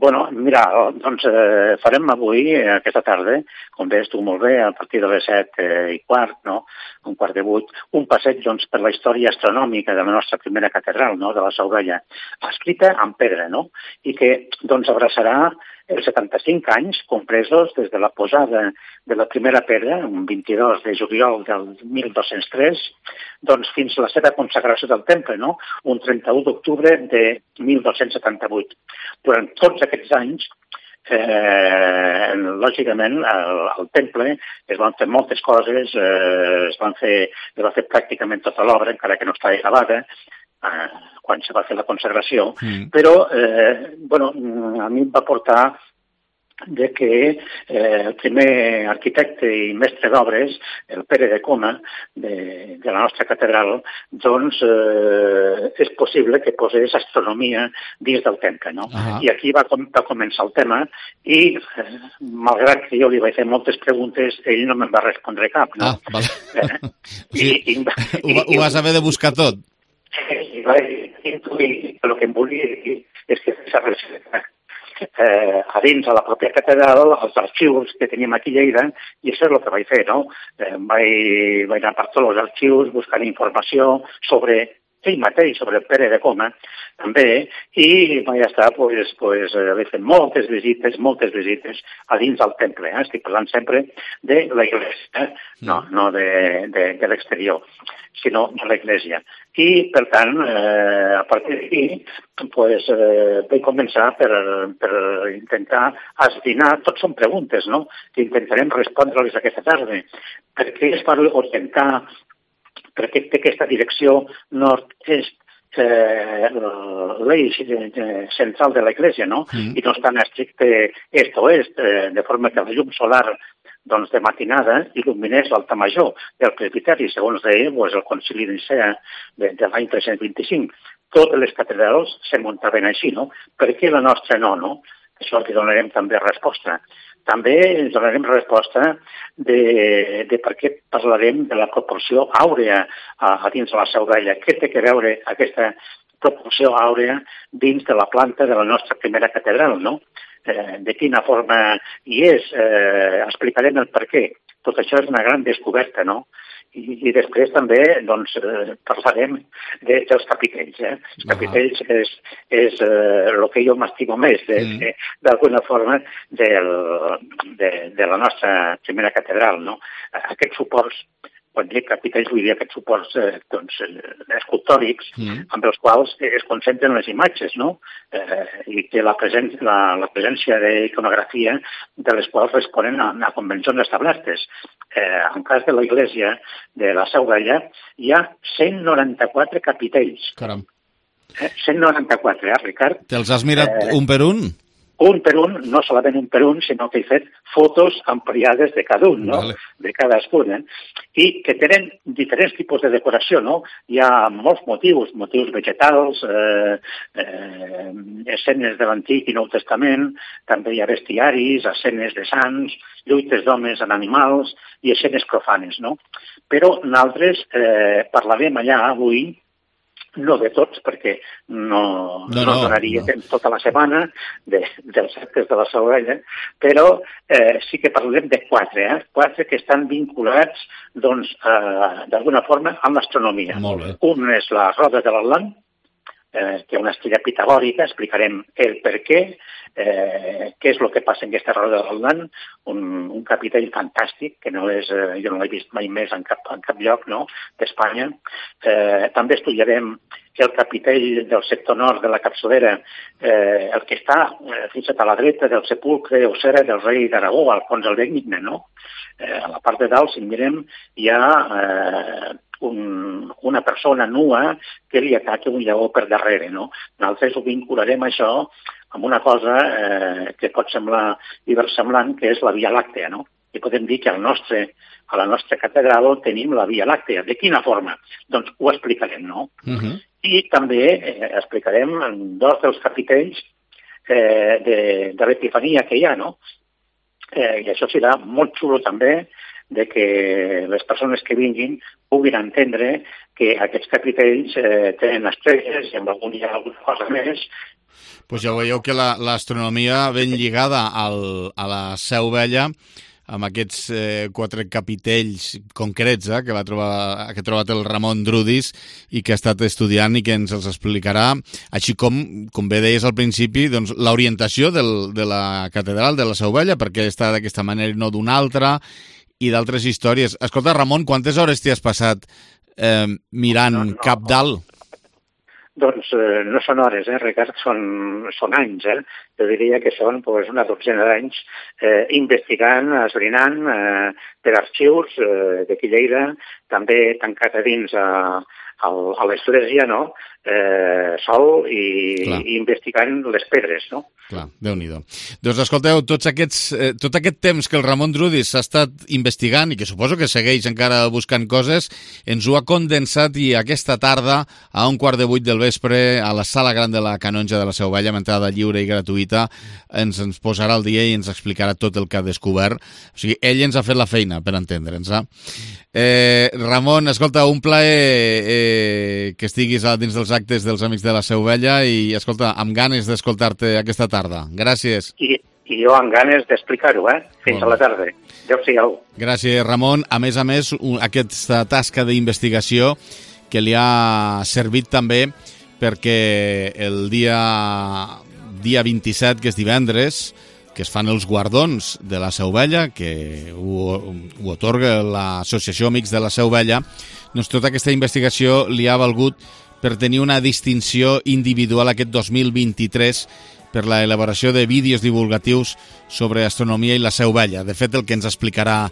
Bueno, mira, doncs eh, farem avui, eh, aquesta tarda, com deies tu molt bé, a partir de les set eh, i quart, no?, un quart de vuit, un passeig doncs, per la història astronòmica de la nostra primera catedral, no?, de la Seu Vella, escrita en pedra, no?, i que doncs, abraçarà els setanta-cinc anys compresos des de la posada de la primera pedra, un vint-i-dos de juliol del mil dos-cents tres, doncs fins a la seva consagració del temple, no?, un trenta-u d'octubre de mil dos-cents setanta-vuit. Durant tots aquests anys, eh, lògicament, al, al temple es van fer moltes coses, eh, es van fer, es va fer pràcticament tota l'obra, encara que no estava acabada, eh, quan se va fer la consagració, mm. però eh, bueno, a mi em va portar de que eh, el primer arquitecte i mestre d'obres, el Pere de Coma, de, de la nostra catedral, doncs eh, és possible que posés astronomia dins del temple, no? Uh-huh. I aquí va, com, va començar el tema i, eh, malgrat que jo li vaig fer moltes preguntes, ell no me'n va respondre cap, no? Ah, vale. Eh? Sí, I, i, ho, ho vas haver de buscar tot. I vaig intuir que el que em volia dir és que fes a recerca Eh, a dins a la pròpia catedral, els arxius que teníem aquí a Lleida, i això és el que vaig fer, no? Eh, vaig, vaig anar per tots els arxius buscant informació sobre ell mateix, sobre el Pere de Coma, també, i ja està, pues, pues, he fet moltes visites, moltes visites a dins del temple. Eh? Estic parlant sempre de l'església, eh? no, no de, de, de l'exterior, sinó de l'església. I, per tant, eh, a partir d'aquí, pues, eh, vaig començar per, per intentar esbrinar, tot són preguntes, no?, que intentarem respondre-les aquesta tarda. Per què es va orientar, per què té aquesta direcció nord-est, eh, l'eix central de l'Església, no? Mm. I no és tan estricte est-oest, eh, de forma que la llum solar doncs, de matinada il·luminés l'altar major del presbiteri, segons deia pues, el concili de Nicea de, de l'any tres-cents vint-i-cinc. Totes les catedrals se muntaven així, no? Per què la nostra no, no? Això que donarem també resposta. També ens donarem resposta de, de per què parlarem de la proporció àurea a, a dins de la Seu Vella. Què té que veure aquesta proporció àurea dins de la planta de la nostra primera catedral, no? Eh, de quina forma hi és, eh, explicarem el per què. Tot això és una gran descoberta, no? I, i després també doncs, eh, parlarem de, dels capitells. Eh? Els capitells és, és eh, el que jo m'estimo més, d'alguna mm. forma, del, de, de la nostra primera catedral. No? Aquests suports, quan dic capitells, vull dir aquests suports eh, doncs, escultòrics, mm. amb els quals es concentren les imatges, no? eh, i que la, presència, la, la presència d'iconografia de les quals responen a, a convencions establertes. Eh, en cas de l'església de la Seu Vella hi ha cent noranta-quatre capitells. Caram. Eh, cent noranta-quatre, eh, Ricard? Te'ls has mirat eh, un per un? Un per un, no solament un per un, sinó que he fet fotos ampliades de cada un, no? Vale. De cadascun, eh? I que tenen diferents tipus de decoració, no? Hi ha molts motius, motius vegetals, eh, eh, escenes de l'Antic i Nou Testament, també hi ha bestiaris, escenes de sants, lluites d'homes amb animals i escenes profanes, no? Però nosaltres eh, parlarem allà avui no de tots, perquè no, no, no, no donaria no. temps tota la setmana de, dels actes de la Seu Vella, però eh, sí que parlem de quatre, eh? quatre que estan vinculats doncs, eh, d'alguna forma amb l'astronomia. Un és la roda de l'Atlant, eh, que és una estrella pitagòrica, explicarem el per què, eh, què és el que passa en aquesta roda de l'Atlant, un, un capitell fantàstic, que no és, eh, jo no l'he vist mai més en cap, en cap lloc no? d'Espanya. Eh, també estudiarem el capitell del sector nord de la capçalera, eh, el que està eh, fins a la dreta del sepulcre o cera del rei d'Aragó, Alfons el Benigne, no? Eh, a la part de dalt, si mirem, hi ha eh, un, una persona nua que li ataca un lleó per darrere, no? Nosaltres ho vincularem això amb una cosa eh, que pot semblar diversemblant, que és la Via Làctea, no? I podem dir que al nostre, a la nostra catedral tenim la Via Làctea. De quina forma? Doncs ho explicarem, no? Uh-huh. I també eh, explicarem dos dels capitells eh, de, de l'Epifania que hi ha, no? Eh, I això serà molt xulo també de que les persones que vinguin puguin entendre que aquests capitells eh, tenen estrelles i amb algun hi ha alguna cosa més. Pues ja veieu que l'astronomia la, ben lligada al, a la Seu Vella, amb aquests eh, quatre capitells concrets eh, que va trobar, que ha trobat el Ramon Drudis i que ha estat estudiant i que ens els explicarà, així com, com bé deies al principi, doncs, l'orientació del, de la catedral de la Seu Vella, perquè està d'aquesta manera i no d'una altra, i d'altres històries. Escolta, Ramon, quantes hores t'hi has passat eh, mirant no, no. cap dalt? Doncs eh, no són hores, eh, Ricard, són, són anys, eh? Jo diria que són pues, una dotzena d'anys eh, investigant, esbrinant eh, per arxius eh, d'aquí Lleida, també tancat a dins a, a, a l'església, no? Eh, sol i, i investigant les pedres, no? Clar, Déu-n'hi-do. Doncs escolteu, tots aquests, eh, tot aquest temps que el Ramon Drudis s'ha estat investigant i que suposo que segueix encara buscant coses, ens ho ha condensat i aquesta tarda, a un quart de vuit del vespre, a la sala gran de la Canonja de la Seu Vella, amb entrada lliure i gratuïta, ens, ens posarà al dia i ens explicarà tot el que ha descobert. O sigui, ell ens ha fet la feina, per entendre'ns. Eh? Eh, Ramon, escolta, un plaer eh, que estiguis dins dels actes dels Amics de la Seu Vella i, escolta, amb ganes d'escoltar-te aquesta tarda. Gràcies. I, i jo amb ganes d'explicar-ho, eh? Fins bon. a la tarda. Adéu-siau. Gràcies, Ramon. A més a més, un, aquesta tasca d'investigació que li ha servit també perquè el dia, dia vint-i-set, que és divendres, que es fan els guardons de la Seu Vella, que ho, ho otorga l'Associació Amics de la Seu Vella, doncs tota aquesta investigació li ha valgut per tenir una distinció individual aquest dos mil vint-i-tres per la elaboració de vídeos divulgatius sobre astronomia i la Seu Vella. De fet, el que ens explicarà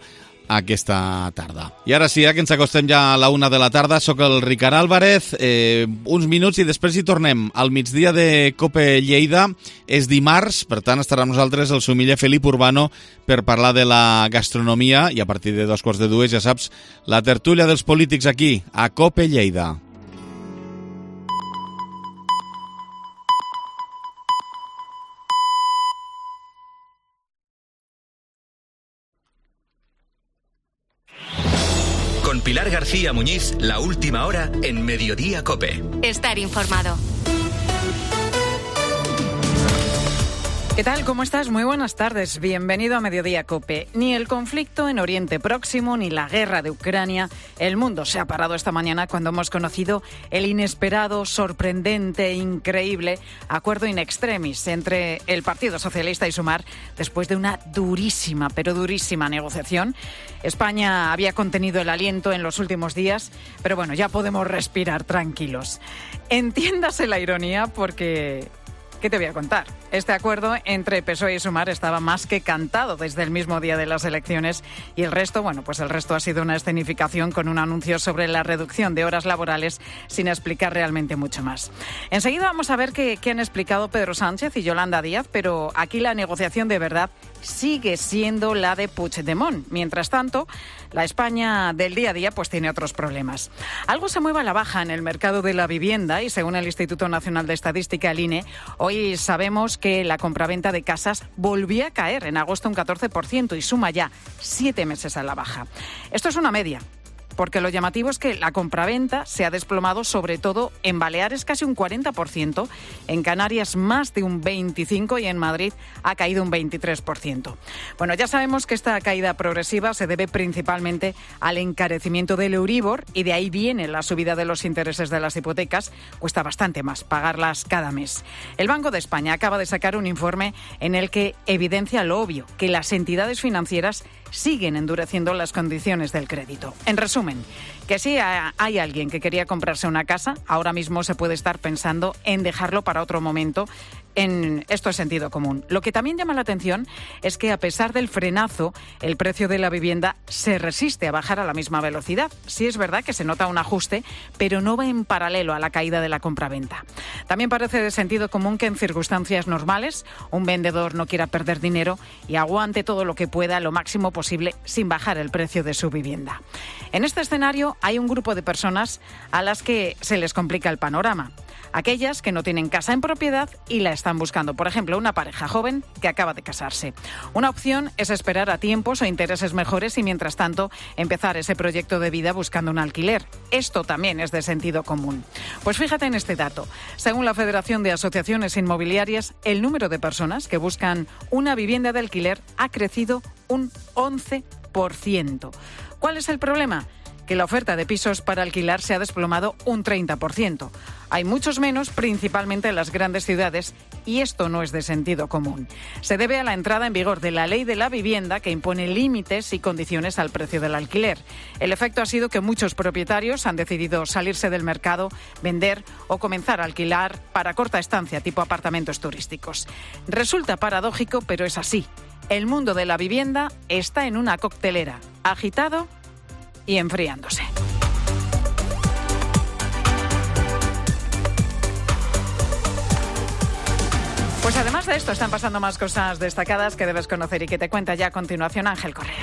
aquesta tarda. I ara sí, que ens acostem ja a la una de la tarda, sóc el Ricard Álvarez, eh, uns minuts i després hi tornem. Al migdia de COPE Lleida és dimarts, per tant estarà amb nosaltres el sumiller Felip Urbano per parlar de la gastronomia i a partir de dos quarts de dues, ja saps, la tertúlia dels polítics aquí, a COPE Lleida. Con Pilar García Muñiz, la última hora en Mediodía COPE. Estar informado. ¿Qué tal? ¿Cómo estás? Muy buenas tardes. Bienvenido a Mediodía COPE. Ni el conflicto en Oriente Próximo ni la guerra de Ucrania. El mundo se ha parado esta mañana cuando hemos conocido el inesperado, sorprendente, increíble acuerdo in extremis entre el Partido Socialista y Sumar después de una durísima, pero durísima negociación. España había contenido el aliento en los últimos días, pero bueno, ya podemos respirar tranquilos. Entiéndase la ironía porque... ¿qué te voy a contar? Este acuerdo entre P S O E y Sumar estaba más que cantado desde el mismo día de las elecciones y el resto, bueno, pues el resto ha sido una escenificación con un anuncio sobre la reducción de horas laborales sin explicar realmente mucho más. Enseguida vamos a ver qué, qué han explicado Pedro Sánchez y Yolanda Díaz, pero aquí la negociación de verdad sigue siendo la de Puigdemont. Mientras tanto, la España del día a día pues tiene otros problemas. Algo se mueve a la baja en el mercado de la vivienda y según el Instituto Nacional de Estadística, el I N E, hoy sabemos que la compraventa de casas volvió a caer en agosto un catorce por ciento y suma ya siete meses a la baja. Esto es una media, porque lo llamativo es que la compraventa se ha desplomado sobre todo en Baleares casi un cuarenta por ciento, en Canarias más de un veinticinco por ciento y en Madrid ha caído un veintitrés por ciento. Bueno, ya sabemos que esta caída progresiva se debe principalmente al encarecimiento del Euribor y de ahí viene la subida de los intereses de las hipotecas. Cuesta bastante más pagarlas cada mes. El Banco de España acaba de sacar un informe en el que evidencia lo obvio, que las entidades financieras siguen endureciendo las condiciones del crédito. En resumen, que si hay alguien que quería comprarse una casa, ahora mismo se puede estar pensando en dejarlo para otro momento. En esto es sentido común. Lo que también llama la atención es que a pesar del frenazo, el precio de la vivienda se resiste a bajar a la misma velocidad. Sí es verdad que se nota un ajuste, pero no va en paralelo a la caída de la compraventa. También parece de sentido común que en circunstancias normales un vendedor no quiera perder dinero y aguante todo lo que pueda lo máximo posible sin bajar el precio de su vivienda. En este escenario hay un grupo de personas a las que se les complica el panorama. Aquellas que no tienen casa en propiedad y la están buscando. Por ejemplo, una pareja joven que acaba de casarse. Una opción es esperar a tiempos o intereses mejores y, mientras tanto, empezar ese proyecto de vida buscando un alquiler. Esto también es de sentido común. Pues fíjate en este dato. Según la Federación de Asociaciones Inmobiliarias, el número de personas que buscan una vivienda de alquiler ha crecido un once por ciento. ¿Cuál es el problema? Que la oferta de pisos para alquilar se ha desplomado un treinta por ciento. Hay muchos menos, principalmente en las grandes ciudades, y esto no es de sentido común. Se debe a la entrada en vigor de la Ley de la Vivienda, que impone límites y condiciones al precio del alquiler. El efecto ha sido que muchos propietarios han decidido salirse del mercado, vender o comenzar a alquilar para corta estancia, tipo apartamentos turísticos. Resulta paradójico, pero es así. El mundo de la vivienda está en una coctelera, agitado y enfriándose. Pues además de esto están pasando más cosas destacadas que debes conocer y que te cuenta ya a continuación Ángel Correa.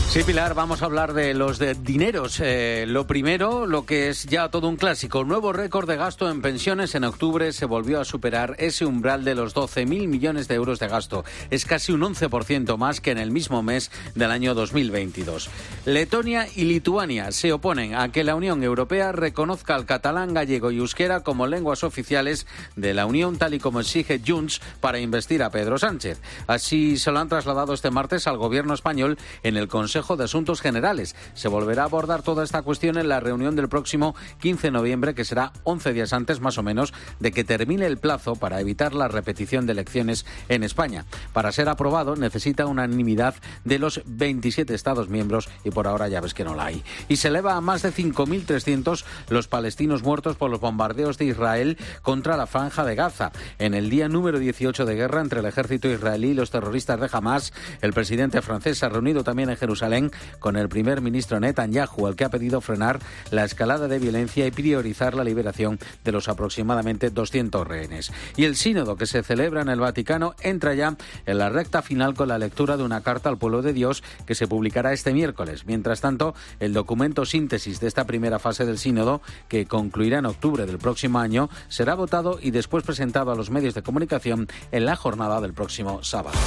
Sí, Pilar, vamos a hablar de los de dineros. Eh, lo primero, lo que es ya todo un clásico. Nuevo récord de gasto en pensiones. En octubre se volvió a superar ese umbral de los doce mil millones de euros de gasto. Es casi un once por ciento más que en el mismo mes del año dos mil veintidós. Letonia y Lituania se oponen a que la Unión Europea reconozca al catalán, gallego y euskera como lenguas oficiales de la Unión, tal y como exige Junts para investir a Pedro Sánchez. Así se lo han trasladado este martes al gobierno español en el Consejo Consejo de Asuntos Generales. Se volverá a abordar toda esta cuestión en la reunión del próximo quince de noviembre, que será once días antes, más o menos, de que termine el plazo para evitar la repetición de elecciones en España. Para ser aprobado necesita unanimidad de los veintisiete Estados miembros y por ahora ya ves que no la hay. Y se eleva a más de cinco mil trescientos los palestinos muertos por los bombardeos de Israel contra la Franja de Gaza. En el día número dieciocho de guerra entre el ejército israelí y los terroristas de Hamas, el presidente francés se ha reunido también en Jerusalén con el primer ministro Netanyahu, al que ha pedido frenar la escalada de violencia y priorizar la liberación de los aproximadamente doscientos rehenes. Y el sínodo que se celebra en el Vaticano entra ya en la recta final con la lectura de una carta al pueblo de Dios que se publicará este miércoles. Mientras tanto, el documento síntesis de esta primera fase del sínodo, que concluirá en octubre del próximo año, será votado y después presentado a los medios de comunicación en la jornada del próximo sábado.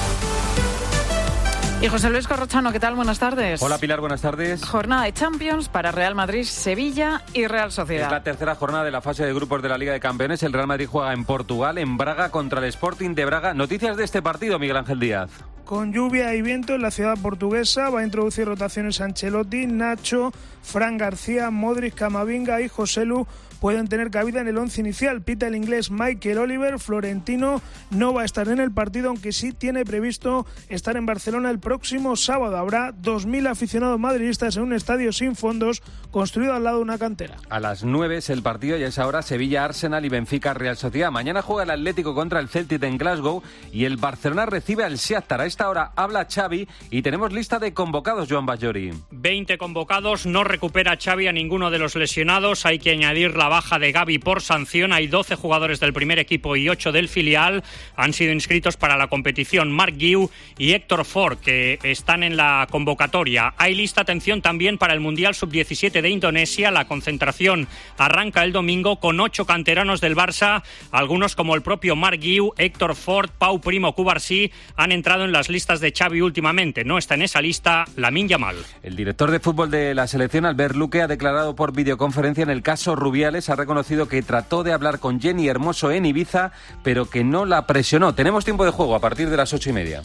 Y José Luis Corrochano, ¿qué tal? Buenas tardes. Hola Pilar, buenas tardes. Jornada de Champions para Real Madrid, Sevilla y Real Sociedad. Es la tercera jornada de la fase de grupos de la Liga de Campeones. El Real Madrid juega en Portugal, en Braga, contra el Sporting de Braga. Noticias de este partido, Miguel Ángel Díaz. Con lluvia y viento en la ciudad portuguesa va a introducir rotaciones Ancelotti, Nacho, Fran García, Modric, Camavinga y Joselu pueden tener cabida en el once inicial. Pita el inglés Michael Oliver. Florentino no va a estar en el partido, aunque sí tiene previsto estar en Barcelona el próximo sábado. Habrá dos mil aficionados madridistas en un estadio sin fondos construido al lado de una cantera. A las nueve es el partido y a esa hora Sevilla-Arsenal y Benfica-Real Sociedad. Mañana juega el Atlético contra el Celtic en Glasgow y el Barcelona recibe al Shakhtar. A esta hora habla Xavi y tenemos lista de convocados, Joan Bajori. veinte convocados, no recupera Xavi a ninguno de los lesionados. Hay que añadir la baja de Gavi por sanción. Hay doce jugadores del primer equipo y ocho del filial. Han sido inscritos para la competición Marc Guiu y Héctor Ford, que están en la convocatoria. Hay lista, atención, también para el Mundial sub diecisiete de Indonesia. La concentración arranca el domingo con ocho canteranos del Barça. Algunos, como el propio Marc Guiu, Héctor Ford, Pau Primo, Cubarsí, han entrado en las listas de Xavi últimamente. No está en esa lista Lamine Yamal. El director de fútbol de la selección, Albert Luque, ha declarado por videoconferencia en el caso Rubiales. Ha reconocido que trató de hablar con Jenny Hermoso en Ibiza, pero que no la presionó. Tenemos tiempo de juego a partir de las ocho y media.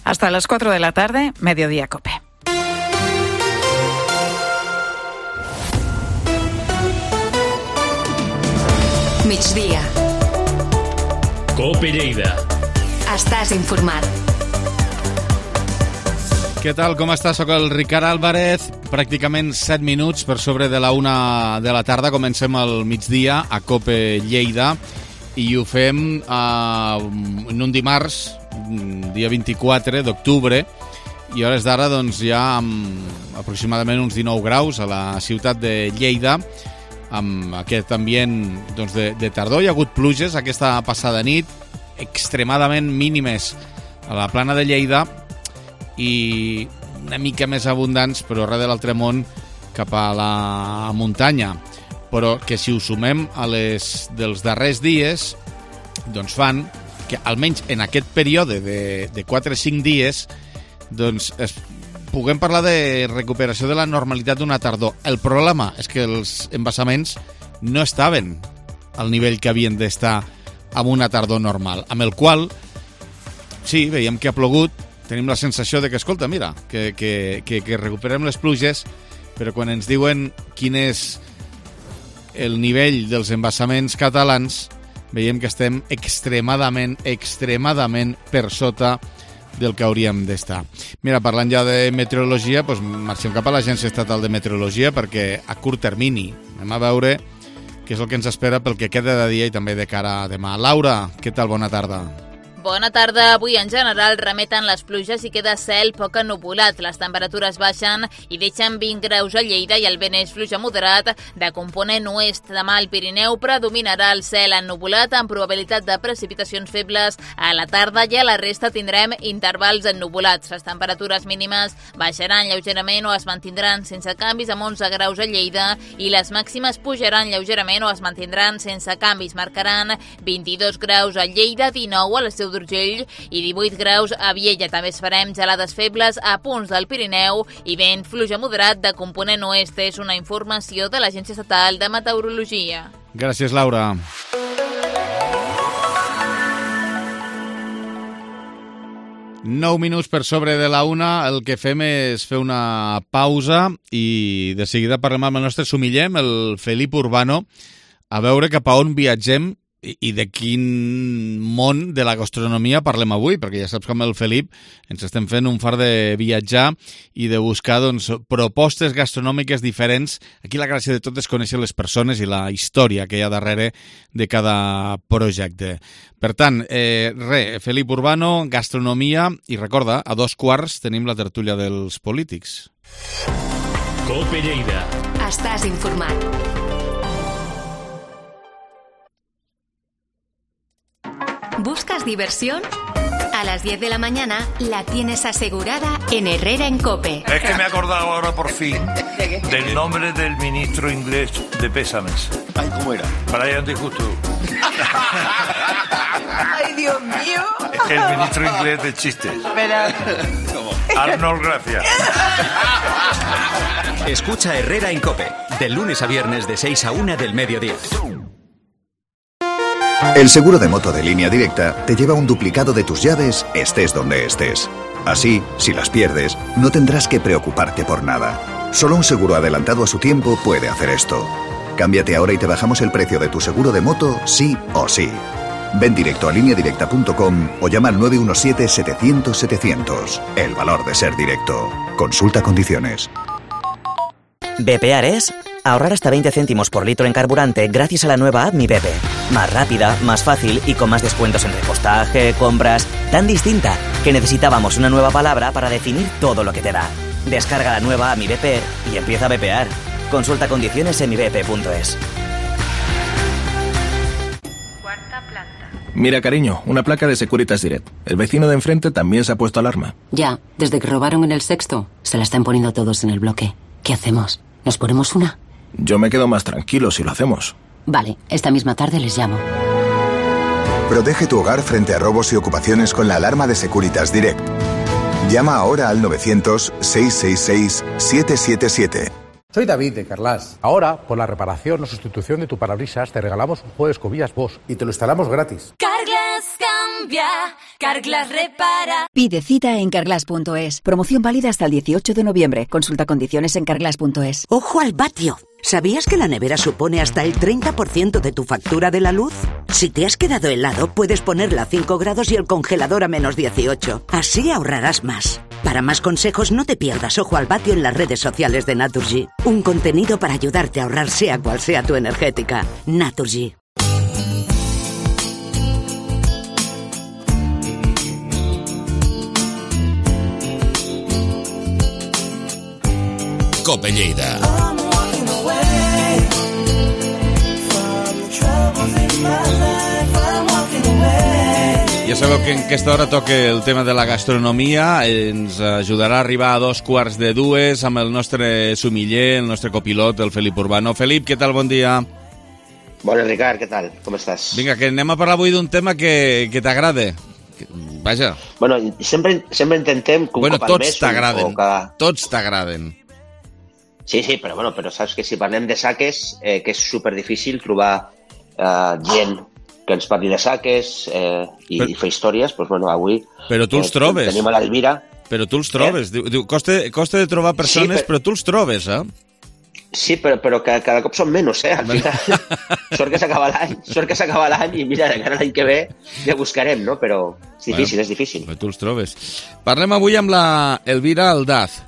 Hasta las cuatro de la tarde, Mediodía Cope. Migdia. Cope Lleida. Estàs informat. Què tal, com està? Soc el Ricard Álvarez. Pràcticament set minuts per sobre de la una de la tarda. Comencem el migdia a Cope Lleida i ho fem eh, en un dimarts, dia vint-i-quatre d'octubre, i a hores d'ara doncs, ja amb aproximadament uns dinou graus a la ciutat de Lleida, amb aquest ambient doncs, de, de tardor. Hi ha hagut pluges aquesta passada nit, extremadament mínimes a la plana de Lleida, i una mica més abundants, però arreu de l'altre món, cap a la muntanya. Però que si ho sumem a les dels darrers dies, doncs fan que almenys en aquest període de, de quatre o cinc dies doncs es, puguem parlar de recuperació de la normalitat d'una tardor. El problema és que els embassaments no estaven al nivell que havien d'estar amb una tardor normal, amb el qual sí, veiem que ha plogut. Tenim la sensació de que, escolta, mira, que, que, que, que recuperem les pluges, però quan ens diuen quin és el nivell dels embassaments catalans, veiem que estem extremadament, extremadament per sota del que hauríem d'estar. Mira, parlant ja de meteorologia, doncs marxem cap a l'Agència Estatal de Meteorologia perquè a curt termini anem a veure què és el que ens espera pel que queda de dia i també de cara a demà. Laura, què tal? Bona tarda. Bona tarda. Avui en general remeten les pluges i queda cel poc ennuvolat. Les temperatures baixen i deixen vint graus a Lleida i el vent és fluix a moderat de component oest. Demà al Pirineu predominarà el cel ennuvolat amb probabilitat de precipitacions febles a la tarda i a la resta tindrem intervals ennuvolats. Les temperatures mínimes baixaran lleugerament o es mantindran sense canvis amb onze graus a Lleida i les màximes pujaran lleugerament o es mantindran sense canvis. Marcaran vint-i-dos graus a Lleida, dinou a la Seu d'Urgell i divuit graus a Viella. També esperem gelades febles a punts del Pirineu i vent fluix a moderat de component oest. És una informació de l'Agència Estatal de Meteorologia. Gràcies, Laura. Nou minuts per sobre de la una, el que fem és fer una pausa i de seguida parlem amb el nostre sumiller, el Felip Urbano, a veure cap a on viatgem i, i de quin món de la gastronomia parlem avui, perquè ja saps com el Felip ens estem fent un far de viatjar i de buscar doncs, propostes gastronòmiques diferents. Aquí la gràcia de tot és conèixer les persones i la història que hi ha darrere de cada projecte. Per tant, eh, re, Felip Urbano, gastronomia, i recorda, a dos quarts tenim la tertúlia dels polítics. Cope Lleida. Estàs informat. ¿Buscas diversión? A las diez de la mañana la tienes asegurada en Herrera en Cope. Es que me he acordado ahora por fin del nombre del ministro inglés de pésames. Ay, ¿cómo era? Brian Disgusto. Ay, Dios mío. El ministro inglés de chistes. Arnold, gracias. Escucha Herrera en Cope, de lunes a viernes de seis a una del mediodía. El seguro de moto de Línea Directa te lleva un duplicado de tus llaves, estés donde estés. Así, si las pierdes, no tendrás que preocuparte por nada. Solo un seguro adelantado a su tiempo puede hacer esto. Cámbiate ahora y te bajamos el precio de tu seguro de moto, sí o sí. Ven directo a línea directa punto com o llama al nueve uno siete, setecientos, setecientos. El valor de ser directo. Consulta condiciones. Bepear es ahorrar hasta veinte céntimos por litro en carburante gracias a la nueva app Mi Bepe. Más rápida, más fácil y con más descuentos en repostaje, compras... Tan distinta que necesitábamos una nueva palabra para definir todo lo que te da. Descarga la nueva app Mi Bepe y empieza a bepear. Consulta condiciones en mi bepe punto es. Mira, cariño, una placa de Securitas Direct. El vecino de enfrente también se ha puesto alarma. Ya, desde que robaron en el sexto, se la están poniendo todos en el bloque. ¿Qué hacemos? ¿Nos ponemos una? Yo me quedo más tranquilo si lo hacemos. Vale, esta misma tarde les llamo. Protege tu hogar frente a robos y ocupaciones con la alarma de Securitas Direct. Llama ahora al novecientos, seiscientos sesenta y seis, setecientos setenta y siete. Soy David de Carlas. Ahora, por la reparación o sustitución de tu parabrisas, te regalamos un juego de escobillas Bosch y te lo instalamos gratis. Carglass cambia, Carglass repara. Pide cita en carglass punto es. Promoción válida hasta el dieciocho de noviembre. Consulta condiciones en carglass punto es. ¡Ojo al vatio! ¿Sabías que la nevera supone hasta el treinta por ciento de tu factura de la luz? Si te has quedado helado, puedes ponerla a cinco grados y el congelador a menos dieciocho. Así ahorrarás más. Para más consejos, no te pierdas Ojo al Vatio en las redes sociales de Naturgy. Un contenido para ayudarte a ahorrar sea cual sea tu energética. Naturgy. Cope Lleida. Ja sabeu que en aquesta hora toca el tema de la gastronomia, ens ajudarà a arribar a dos quarts de dues amb el nostre sumiller, el nostre copilot, el Felip Urbano. Felip, què tal? Bon dia. Bona, Ricard, què tal? Com estàs? Vinga, que anem a parlar avui d'un tema que, que t'agrada. Vaja. Bueno, sempre, sempre intentem que un bueno, cop al mes... Tots t'agraden, cada... tots t'agraden. Sí, sí, però, bueno, però saps que si parlem de saques, eh, que és superdifícil trobar eh, gent que ens parli de saques eh, i, però, i fer històries, doncs, bueno, avui... Però tu els eh, trobes. Tenim a l'Elvira. Però tu els trobes. Eh? Diu, costa, costa de trobar persones, sí, però... però tu els trobes, eh? Sí, però, però que cada cop són menys, eh? Al final, sort que s'acaba l'any, sort que s'acaba l'any i mira, encara l'any que ve ja buscarem, no? Però és difícil, bueno, és difícil. Però tu els trobes. Parlem avui amb la Elvira Aldaz.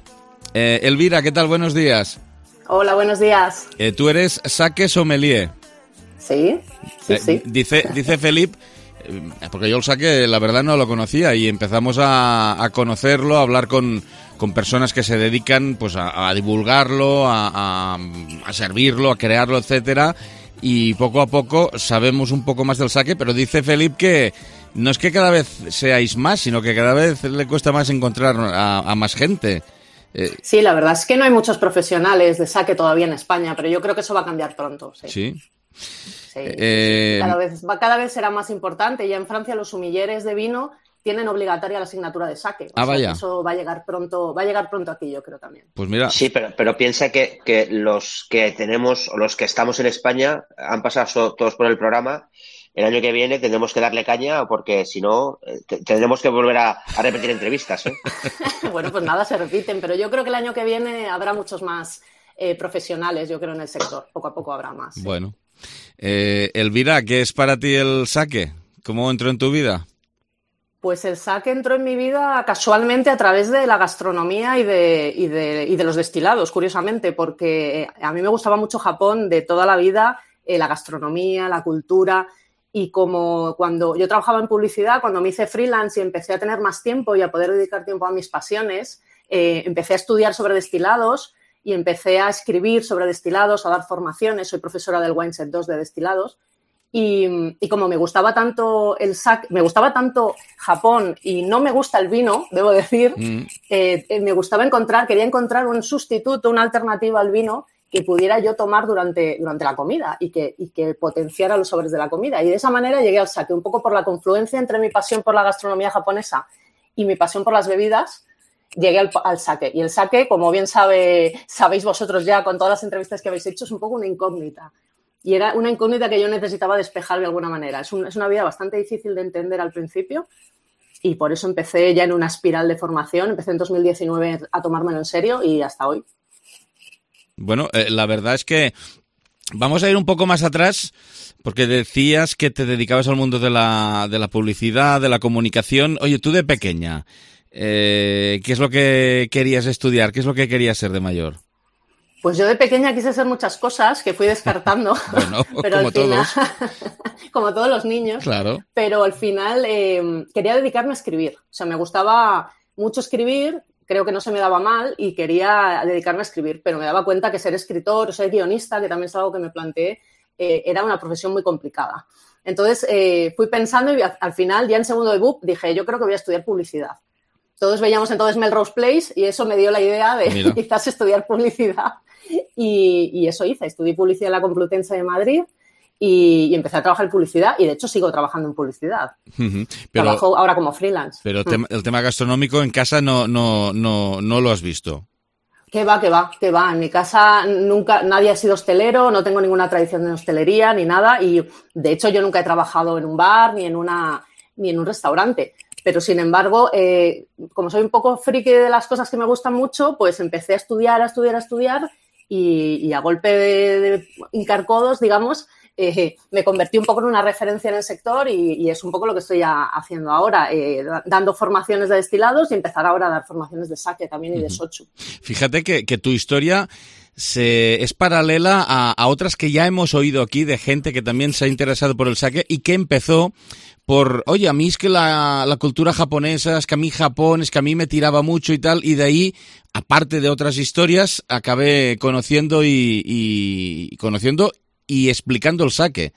Eh, Elvira, ¿qué tal? Buenos días. Hola, buenos días. Eh, tú eres saque sommelier. Sí, sí, eh, sí. Dice, dice Felip, eh, porque yo el saque la verdad no lo conocía y empezamos a, a conocerlo, a hablar con, con personas que se dedican pues a, a divulgarlo, a, a, a servirlo, a crearlo, etcétera, y poco a poco sabemos un poco más del saque, pero dice Felip que no es que cada vez seáis más, sino que cada vez le cuesta más encontrar a, a más gente. Eh, sí, la verdad es que no hay muchos profesionales de saque todavía en España, pero yo creo que eso va a cambiar pronto. Sí. ¿Sí? Sí, eh, cada vez, va, cada vez será más importante. Ya en Francia los sumilleres de vino tienen obligatoria la asignatura de saque. O ah, sea, vaya. Que eso va a llegar pronto, va a llegar pronto aquí, yo creo también. Pues mira. Sí, pero, pero piensa que, que los que tenemos, o los que estamos en España, han pasado todos por el programa el año que viene tendremos que darle caña porque si no eh, tendremos que volver a, a repetir entrevistas. ¿eh? Bueno, pues nada, se repiten, pero yo creo que el año que viene habrá muchos más eh, profesionales, yo creo, en el sector. Poco a poco habrá más. ¿sí? Bueno. Eh, Elvira, ¿qué es para ti el sake? ¿Cómo entró en tu vida? Pues el sake entró en mi vida casualmente a través de la gastronomía y de, y de, y de los destilados, curiosamente, porque a mí me gustaba mucho Japón de toda la vida, eh, la gastronomía, la cultura, y como cuando yo trabajaba en publicidad, cuando me hice freelance y empecé a tener más tiempo y a poder dedicar tiempo a mis pasiones, eh, empecé a estudiar sobre destilados y empecé a escribir sobre destilados, a dar formaciones, soy profesora del Wineset dos de destilados. Y, y como me gustaba tanto el sake, me gustaba tanto Japón y no me gusta el vino, debo decir, mm. eh, me gustaba encontrar, quería encontrar un sustituto, una alternativa al vino que pudiera yo tomar durante, durante la comida y que, y que potenciara los sabores de la comida. Y de esa manera llegué al sake, un poco por la confluencia entre mi pasión por la gastronomía japonesa y mi pasión por las bebidas, llegué al, al sake. Y el sake, como bien sabe, sabéis vosotros ya con todas las entrevistas que habéis hecho, es un poco una incógnita. Y era una incógnita que yo necesitaba despejar de alguna manera. Es, un, es una vida bastante difícil de entender al principio y por eso empecé ya en una espiral de formación. Empecé en dos mil diecinueve a tomármelo en serio y hasta hoy. Bueno, eh, la verdad es que vamos a ir un poco más atrás porque decías que te dedicabas al mundo de la, de la publicidad, de la comunicación. Oye, tú de pequeña, eh, ¿qué es lo que querías estudiar? ¿Qué es lo que querías ser de mayor? Pues yo de pequeña quise hacer muchas cosas que fui descartando, bueno, pero como al final, todos. como todos los niños, claro. Pero al final eh, quería dedicarme a escribir. O sea, me gustaba mucho escribir, creo que no se me daba mal y quería dedicarme a escribir, pero me daba cuenta que ser escritor o ser guionista, que también es algo que me planteé, eh, era una profesión muy complicada. Entonces eh, fui pensando y al final, ya en segundo de B U P, dije, yo creo que voy a estudiar publicidad. Todos veíamos entonces Melrose Place y eso me dio la idea de Mira. quizás estudiar publicidad. Y, y eso hice, estudié publicidad en la Complutense de Madrid y, y empecé a trabajar en publicidad y de hecho sigo trabajando en publicidad. Uh-huh. Pero, Trabajo ahora como freelance. Pero el, tema, el tema gastronómico en casa no, no, no, no lo has visto. Que va, que va, que va. En mi casa nunca nadie ha sido hostelero, no tengo ninguna tradición de hostelería ni nada y de hecho yo nunca he trabajado en un bar ni en una ni en un restaurante. Pero, sin embargo, eh, como soy un poco friki de las cosas que me gustan mucho, pues empecé a estudiar, a estudiar, a estudiar y, y a golpe de, de hincar codos, digamos, eh, me convertí un poco en una referencia en el sector y, y es un poco lo que estoy a, haciendo ahora, eh, dando formaciones de destilados y empezar ahora a dar formaciones de sake también y de sochu. Fíjate que, que tu historia se, es paralela a, a otras que ya hemos oído aquí de gente que también se ha interesado por el sake y que empezó por, oye, a mí es que la, la cultura japonesa, es que a mí Japón, es que a mí me tiraba mucho y tal, y de ahí, aparte de otras historias, acabé conociendo y, y conociendo y explicando el sake.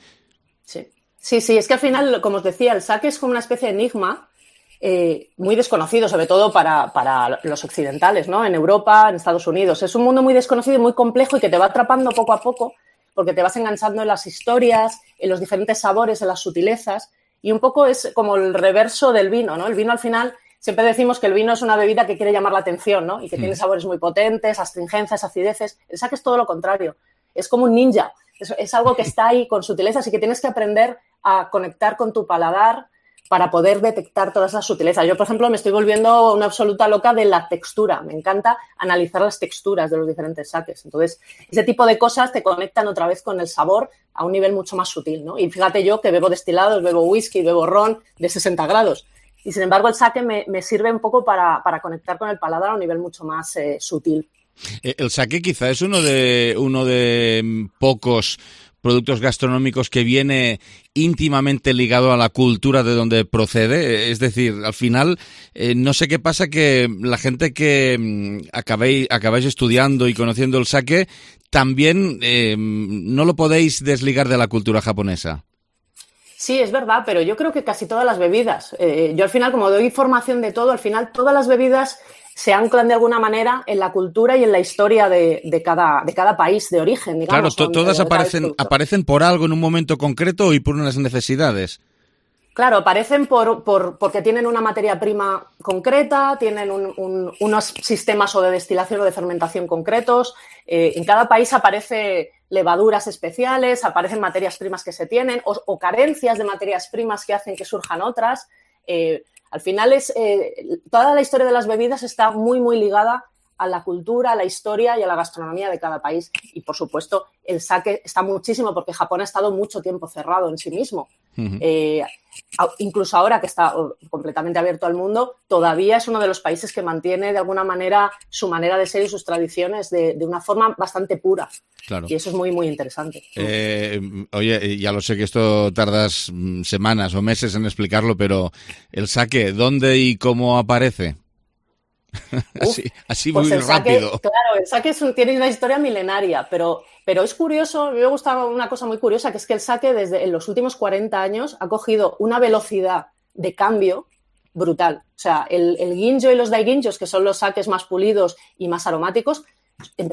Sí, sí, sí, es que al final, como os decía, el sake es como una especie de enigma eh, muy desconocido, sobre todo para, para los occidentales, ¿no? En Europa, en Estados Unidos. Es un mundo muy desconocido y muy complejo y que te va atrapando poco a poco porque te vas enganchando en las historias, en los diferentes sabores, en las sutilezas. Y un poco es como el reverso del vino, ¿no? El vino al final, siempre decimos que el vino es una bebida que quiere llamar la atención, ¿no? Y que mm. tiene sabores muy potentes, astringencias, acideces. El sake es todo lo contrario. Es como un ninja. Es, es algo que está ahí con sutilezas y que tienes que aprender a conectar con tu paladar para poder detectar todas esas sutilezas. Yo, por ejemplo, me estoy volviendo una absoluta loca de la textura. Me encanta analizar las texturas de los diferentes sakes. Entonces, ese tipo de cosas te conectan otra vez con el sabor a un nivel mucho más sutil, ¿no? Y fíjate yo que bebo destilados, bebo whisky, bebo ron de sesenta grados. Y, sin embargo, el sake me, me sirve un poco para, para conectar con el paladar a un nivel mucho más eh, sutil. El sake quizá es uno de, uno de pocos productos gastronómicos que viene íntimamente ligado a la cultura de donde procede. Es decir, al final, eh, no sé qué pasa que la gente que mmm, acabéis, acabáis estudiando y conociendo el sake, también eh, no lo podéis desligar de la cultura japonesa. Sí, es verdad, pero yo creo que casi todas las bebidas. Eh, yo al final, como doy formación de todo, al final todas las bebidas se anclan de alguna manera en la cultura y en la historia de, de, cada, de cada país de origen, digamos. Claro, to- todas aparecen, aparecen por algo en un momento concreto y por unas necesidades. Claro, aparecen por, por, porque tienen una materia prima concreta, tienen un, un, unos sistemas o de destilación o de fermentación concretos. Eh, en cada país aparece levaduras especiales, aparecen materias primas que se tienen o, o carencias de materias primas que hacen que surjan otras. Eh, al final, es eh, toda la historia de las bebidas está muy, muy ligada a la cultura, a la historia y a la gastronomía de cada país. Y, por supuesto, el sake está muchísimo porque Japón ha estado mucho tiempo cerrado en sí mismo. Uh-huh. Eh, incluso ahora que está completamente abierto al mundo, todavía es uno de los países que mantiene de alguna manera su manera de ser y sus tradiciones de, de una forma bastante pura. Claro. Y eso es muy, muy interesante. Eh, oye, ya lo sé que esto tardas semanas o meses en explicarlo, pero el sake, ¿dónde y cómo aparece? así así pues muy el sake, rápido. Claro, el sake es un, tiene una historia milenaria, pero, pero es curioso, a mí me gusta una cosa muy curiosa, que es que el sake desde en los últimos cuarenta años ha cogido una velocidad de cambio brutal. O sea, el, el ginjo y los daiginjos, que son los sakes más pulidos y más aromáticos,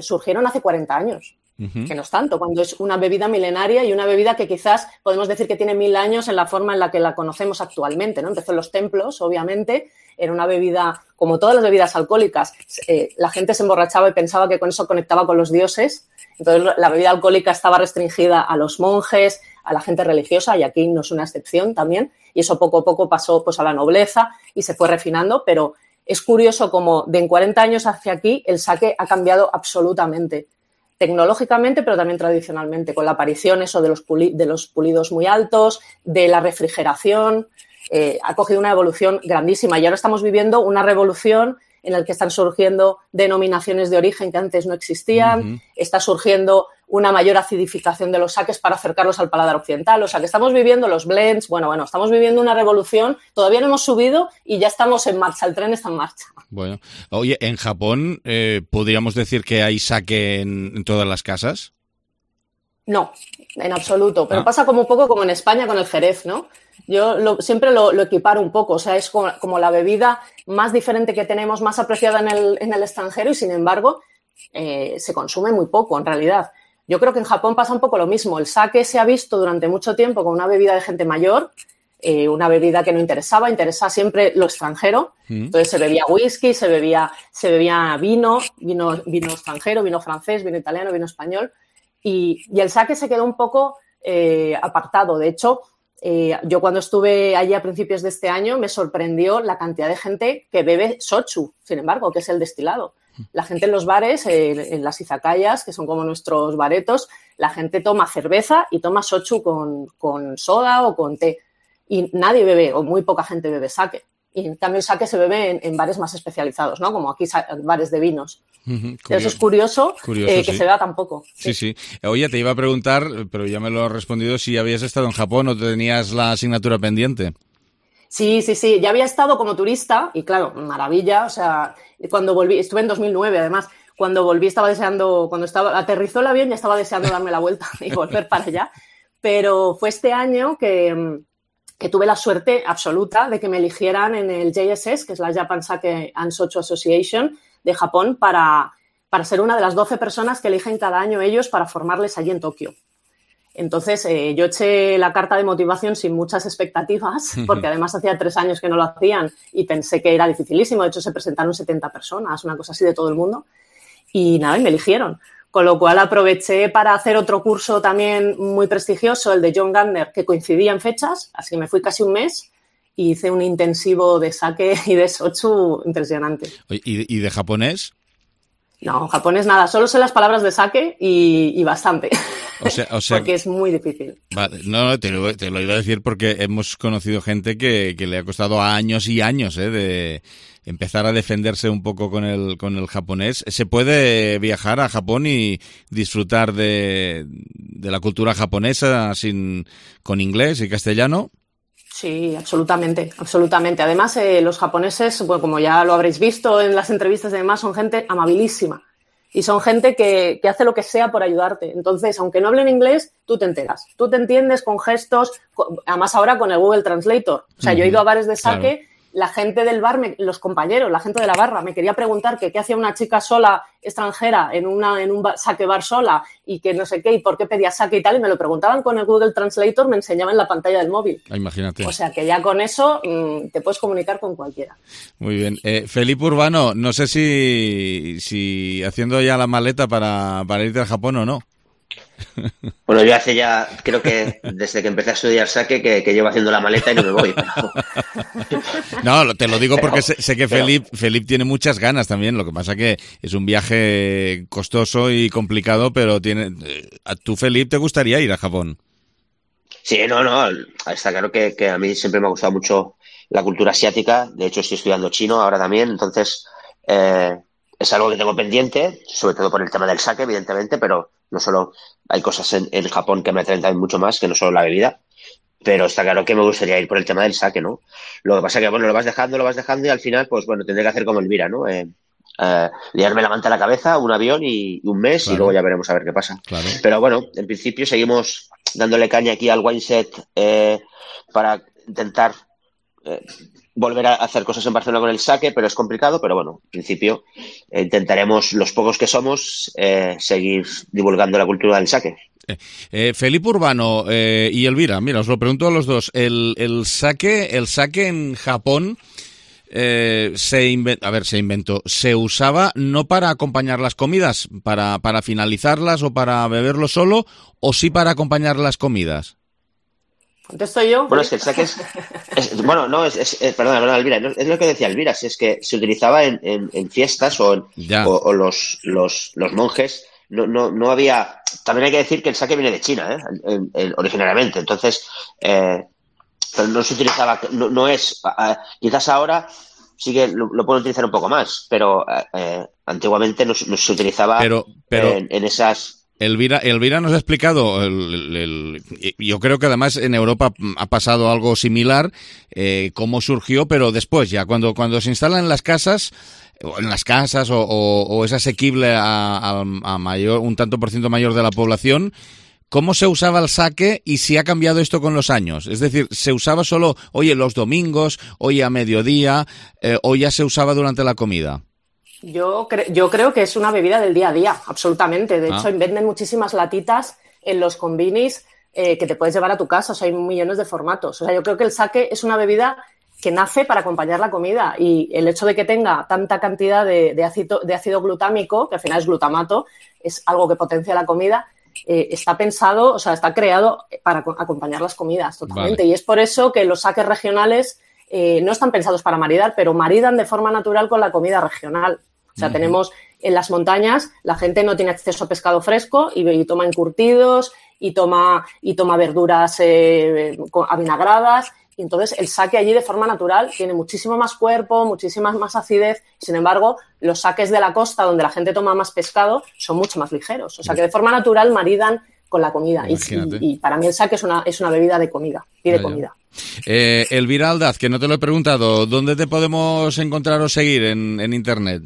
surgieron hace cuarenta años. Uh-huh. Que no es tanto, cuando es una bebida milenaria y una bebida que quizás podemos decir que tiene mil años en la forma en la que la conocemos actualmente, ¿no? Empezó en los templos, obviamente, era una bebida, como todas las bebidas alcohólicas, eh, la gente se emborrachaba y pensaba que con eso conectaba con los dioses, entonces la bebida alcohólica estaba restringida a los monjes, a la gente religiosa, y aquí no es una excepción también, y eso poco a poco pasó pues a la nobleza y se fue refinando, pero es curioso como de en cuarenta años hacia aquí el sake ha cambiado absolutamente. Tecnológicamente, pero también tradicionalmente, con la aparición eso de los, puli- de los pulidos muy altos, de la refrigeración, eh, ha cogido una evolución grandísima y ahora estamos viviendo una revolución en la que están surgiendo denominaciones de origen que antes no existían, uh-huh. Está surgiendo una mayor acidificación de los sakes para acercarlos al paladar occidental, o sea que estamos viviendo los blends, bueno, bueno, estamos viviendo una revolución, todavía no hemos subido y ya estamos en marcha, el tren está en marcha. Bueno, oye, ¿en Japón eh, podríamos decir que hay sake en, en todas las casas? No, en absoluto, pero ah. pasa como un poco como en España con el jerez, ¿no? Yo lo, siempre lo, lo equiparo un poco, o sea, es como, como la bebida más diferente que tenemos, más apreciada en el, en el extranjero y, sin embargo, eh, se consume muy poco, en realidad. Yo creo que en Japón pasa un poco lo mismo. El sake se ha visto durante mucho tiempo como una bebida de gente mayor, eh, una bebida que no interesaba, interesaba siempre lo extranjero. Mm. Entonces se bebía whisky, se bebía, se bebía vino, vino, vino extranjero, vino francés, vino italiano, vino español. Y, y el sake se quedó un poco eh, apartado. De hecho, eh, yo cuando estuve allí a principios de este año me sorprendió la cantidad de gente que bebe shochu, sin embargo, que es el destilado. La gente en los bares, eh, en las izakayas, que son como nuestros baretos, la gente toma cerveza y toma shochu con, con soda o con té. Y nadie bebe, o muy poca gente bebe sake. Y en cambio el sake se bebe en, en bares más especializados, ¿no? Como aquí bares de vinos. Uh-huh, eso es curioso, curioso eh, que sí. Se vea tan poco. Sí. sí, sí. Oye, te iba a preguntar, pero ya me lo has respondido, si habías estado en Japón o tenías la asignatura pendiente. Sí, sí, sí. Ya había estado como turista y, claro, maravilla. O sea, cuando volví, estuve en dos mil nueve, además. Cuando volví estaba deseando, cuando estaba aterrizó el avión ya estaba deseando darme la vuelta y volver para allá. Pero fue este año que... que tuve la suerte absoluta de que me eligieran en el J S S, que es la Japan Sake and Shochu Association de Japón, para, para ser una de las doce personas que eligen cada año ellos para formarles allí en Tokio. Entonces, eh, yo eché la carta de motivación sin muchas expectativas, porque además hacía tres años que no lo hacían y pensé que era dificilísimo. De hecho, se presentaron setenta personas, una cosa así de todo el mundo. Y nada, y me eligieron. Con lo cual aproveché para hacer otro curso también muy prestigioso, el de John Gardner, que coincidía en fechas, así que me fui casi un mes y hice un intensivo de sake y de shochu impresionante. ¿Y, y de japonés? No, japonés nada, solo sé las palabras de sake y, y bastante, o sea, o sea, porque es muy difícil. Vale, no, te lo, te lo iba a decir porque hemos conocido gente que, que le ha costado años y años ¿eh? de empezar a defenderse un poco con el con el japonés. ¿Se puede viajar a Japón y disfrutar de, de la cultura japonesa sin con inglés y castellano? Sí, absolutamente, absolutamente. Además, eh, los japoneses, bueno, como ya lo habréis visto en las entrevistas y demás, son gente amabilísima y son gente que, que hace lo que sea por ayudarte. Entonces, aunque no hablen inglés, tú te enteras. Tú te entiendes con gestos, con, además ahora con el Google Translator. O sea, uh-huh. Yo he ido a bares de sake... Claro. La gente del bar, me, los compañeros, la gente de la barra, me quería preguntar que qué hacía una chica sola, extranjera, en una en un bar, sake bar sola, y que no sé qué, y por qué pedía sake y tal, y me lo preguntaban con el Google Translator, me enseñaban en la pantalla del móvil. Imagínate. O sea, que ya con eso mmm, te puedes comunicar con cualquiera. Muy bien. Eh, Felipe Urbano, no sé si, si haciendo ya la maleta para, para irte a Japón o no. Bueno, yo hace ya, creo que desde que empecé a estudiar saque, que, que llevo haciendo la maleta y no me voy. Pero... No, te lo digo porque pero, sé, sé que pero... Felip, Felip tiene muchas ganas también, lo que pasa que es un viaje costoso y complicado, pero tiene, a tú, Felip, ¿te gustaría ir a Japón? Sí, no, no, está claro que, que a mí siempre me ha gustado mucho la cultura asiática, de hecho estoy estudiando chino ahora también, entonces eh, es algo que tengo pendiente, sobre todo por el tema del sake, evidentemente, pero no solo hay cosas en, en Japón que me atraen también mucho más que no solo la bebida, pero está claro que me gustaría ir por el tema del sake, ¿no? Lo que pasa es que, bueno, lo vas dejando, lo vas dejando y al final, pues bueno, tendré que hacer como Elvira, ¿no? Eh, eh, liarme la manta a la cabeza, un avión y, y un mes claro. Y luego ya veremos a ver qué pasa. Claro. Pero bueno, en principio seguimos dándole caña aquí al Wineset eh, para intentar eh, volver a hacer cosas en Barcelona con el sake, pero es complicado, pero bueno, en principio eh, intentaremos, los pocos que somos, eh, seguir divulgando la cultura del sake. Eh, eh, Felipe Urbano eh, y Elvira, mira, os lo pregunto a los dos, el, el sake, el sake en Japón eh, se inventó, a ver, se inventó, se usaba no para acompañar las comidas, para, para finalizarlas o para beberlo solo, o sí para acompañar las comidas. ¿Contesto yo? Bueno, es que el sake es... es bueno, no, es... es, es perdona, perdona, Elvira, no, es lo que decía Elvira, es que se utilizaba en, en, en fiestas o, en, o, o los, los, los monjes, no, no, no había... También hay que decir que el sake viene de China, ¿eh? El, el, originariamente, entonces, eh, pero no se utilizaba, no, no es... Uh, quizás ahora sí que lo, lo pueden utilizar un poco más, pero eh, antiguamente no, no se utilizaba pero, pero... En, en esas... Elvira, Elvira nos ha explicado, el, el, el, yo creo que además en Europa ha pasado algo similar, eh, cómo surgió, pero después ya, cuando, cuando se instala en las casas, en las casas o, o, o es asequible a, a, a mayor, un tanto por ciento mayor de la población, ¿cómo se usaba el sake y si ha cambiado esto con los años? Es decir, ¿se usaba solo, oye, los domingos, oye, a mediodía, eh, o ya se usaba durante la comida? Yo, cre- yo creo que es una bebida del día a día, absolutamente. De ah. hecho, venden muchísimas latitas en los convinis eh, que te puedes llevar a tu casa. O sea, hay millones de formatos. O sea, yo creo que el sake es una bebida que nace para acompañar la comida. Y el hecho de que tenga tanta cantidad de, de, ácido, de ácido glutámico, que al final es glutamato, es algo que potencia la comida, eh, está pensado, o sea, está creado para acompañar las comidas totalmente. Vale. Y es por eso que los sakes regionales eh, no están pensados para maridar, pero maridan de forma natural con la comida regional. O sea, uh-huh. tenemos en las montañas, la gente no tiene acceso a pescado fresco y, y toma encurtidos y toma, y toma verduras eh, avinagradas. Y entonces el sake allí de forma natural tiene muchísimo más cuerpo, muchísima más acidez. Sin embargo, los sakes de la costa, donde la gente toma más pescado, son mucho más ligeros. O sea, que de forma natural maridan con la comida. Y, y, y para mí el sake es una, es una bebida de comida y de comida. Eh, Elvira Aldaz, que no te lo he preguntado, ¿dónde te podemos encontrar o seguir en, en internet?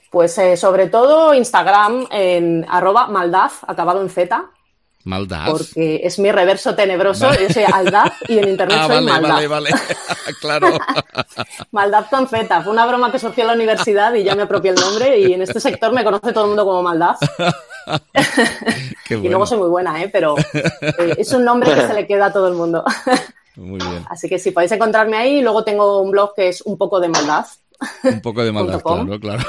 Pues eh, sobre todo Instagram en arroba maldaz, acabado en Z. Maldaz. Porque es mi reverso tenebroso, vale. Yo soy Aldaz y en internet ah, soy vale, Maldaz. Vale, vale, claro. Maldaz con Z, fue una broma que surgió en la universidad y ya me apropié el nombre y en este sector me conoce todo el mundo como Maldaz. Qué bueno. Y luego soy muy buena, ¿eh? Pero eh, es un nombre que se le queda a todo el mundo. Muy bien. Así que sí, podéis encontrarme ahí. Luego tengo un blog que es un poco de Maldaz. Un poco de maldad, claro, claro.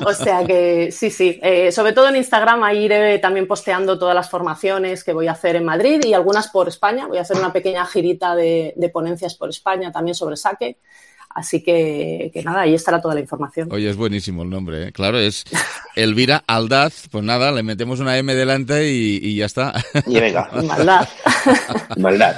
O sea que sí, sí. Eh, sobre todo en Instagram, ahí iré también posteando todas las formaciones que voy a hacer en Madrid y algunas por España. Voy a hacer una pequeña girita de, de ponencias por España también sobre sake. Así que, que nada, ahí estará toda la información. Oye, es buenísimo el nombre, ¿eh? Claro, es Elvira Aldaz. Pues nada, le metemos una M delante y, y ya está. Y venga. Maldad. Maldad.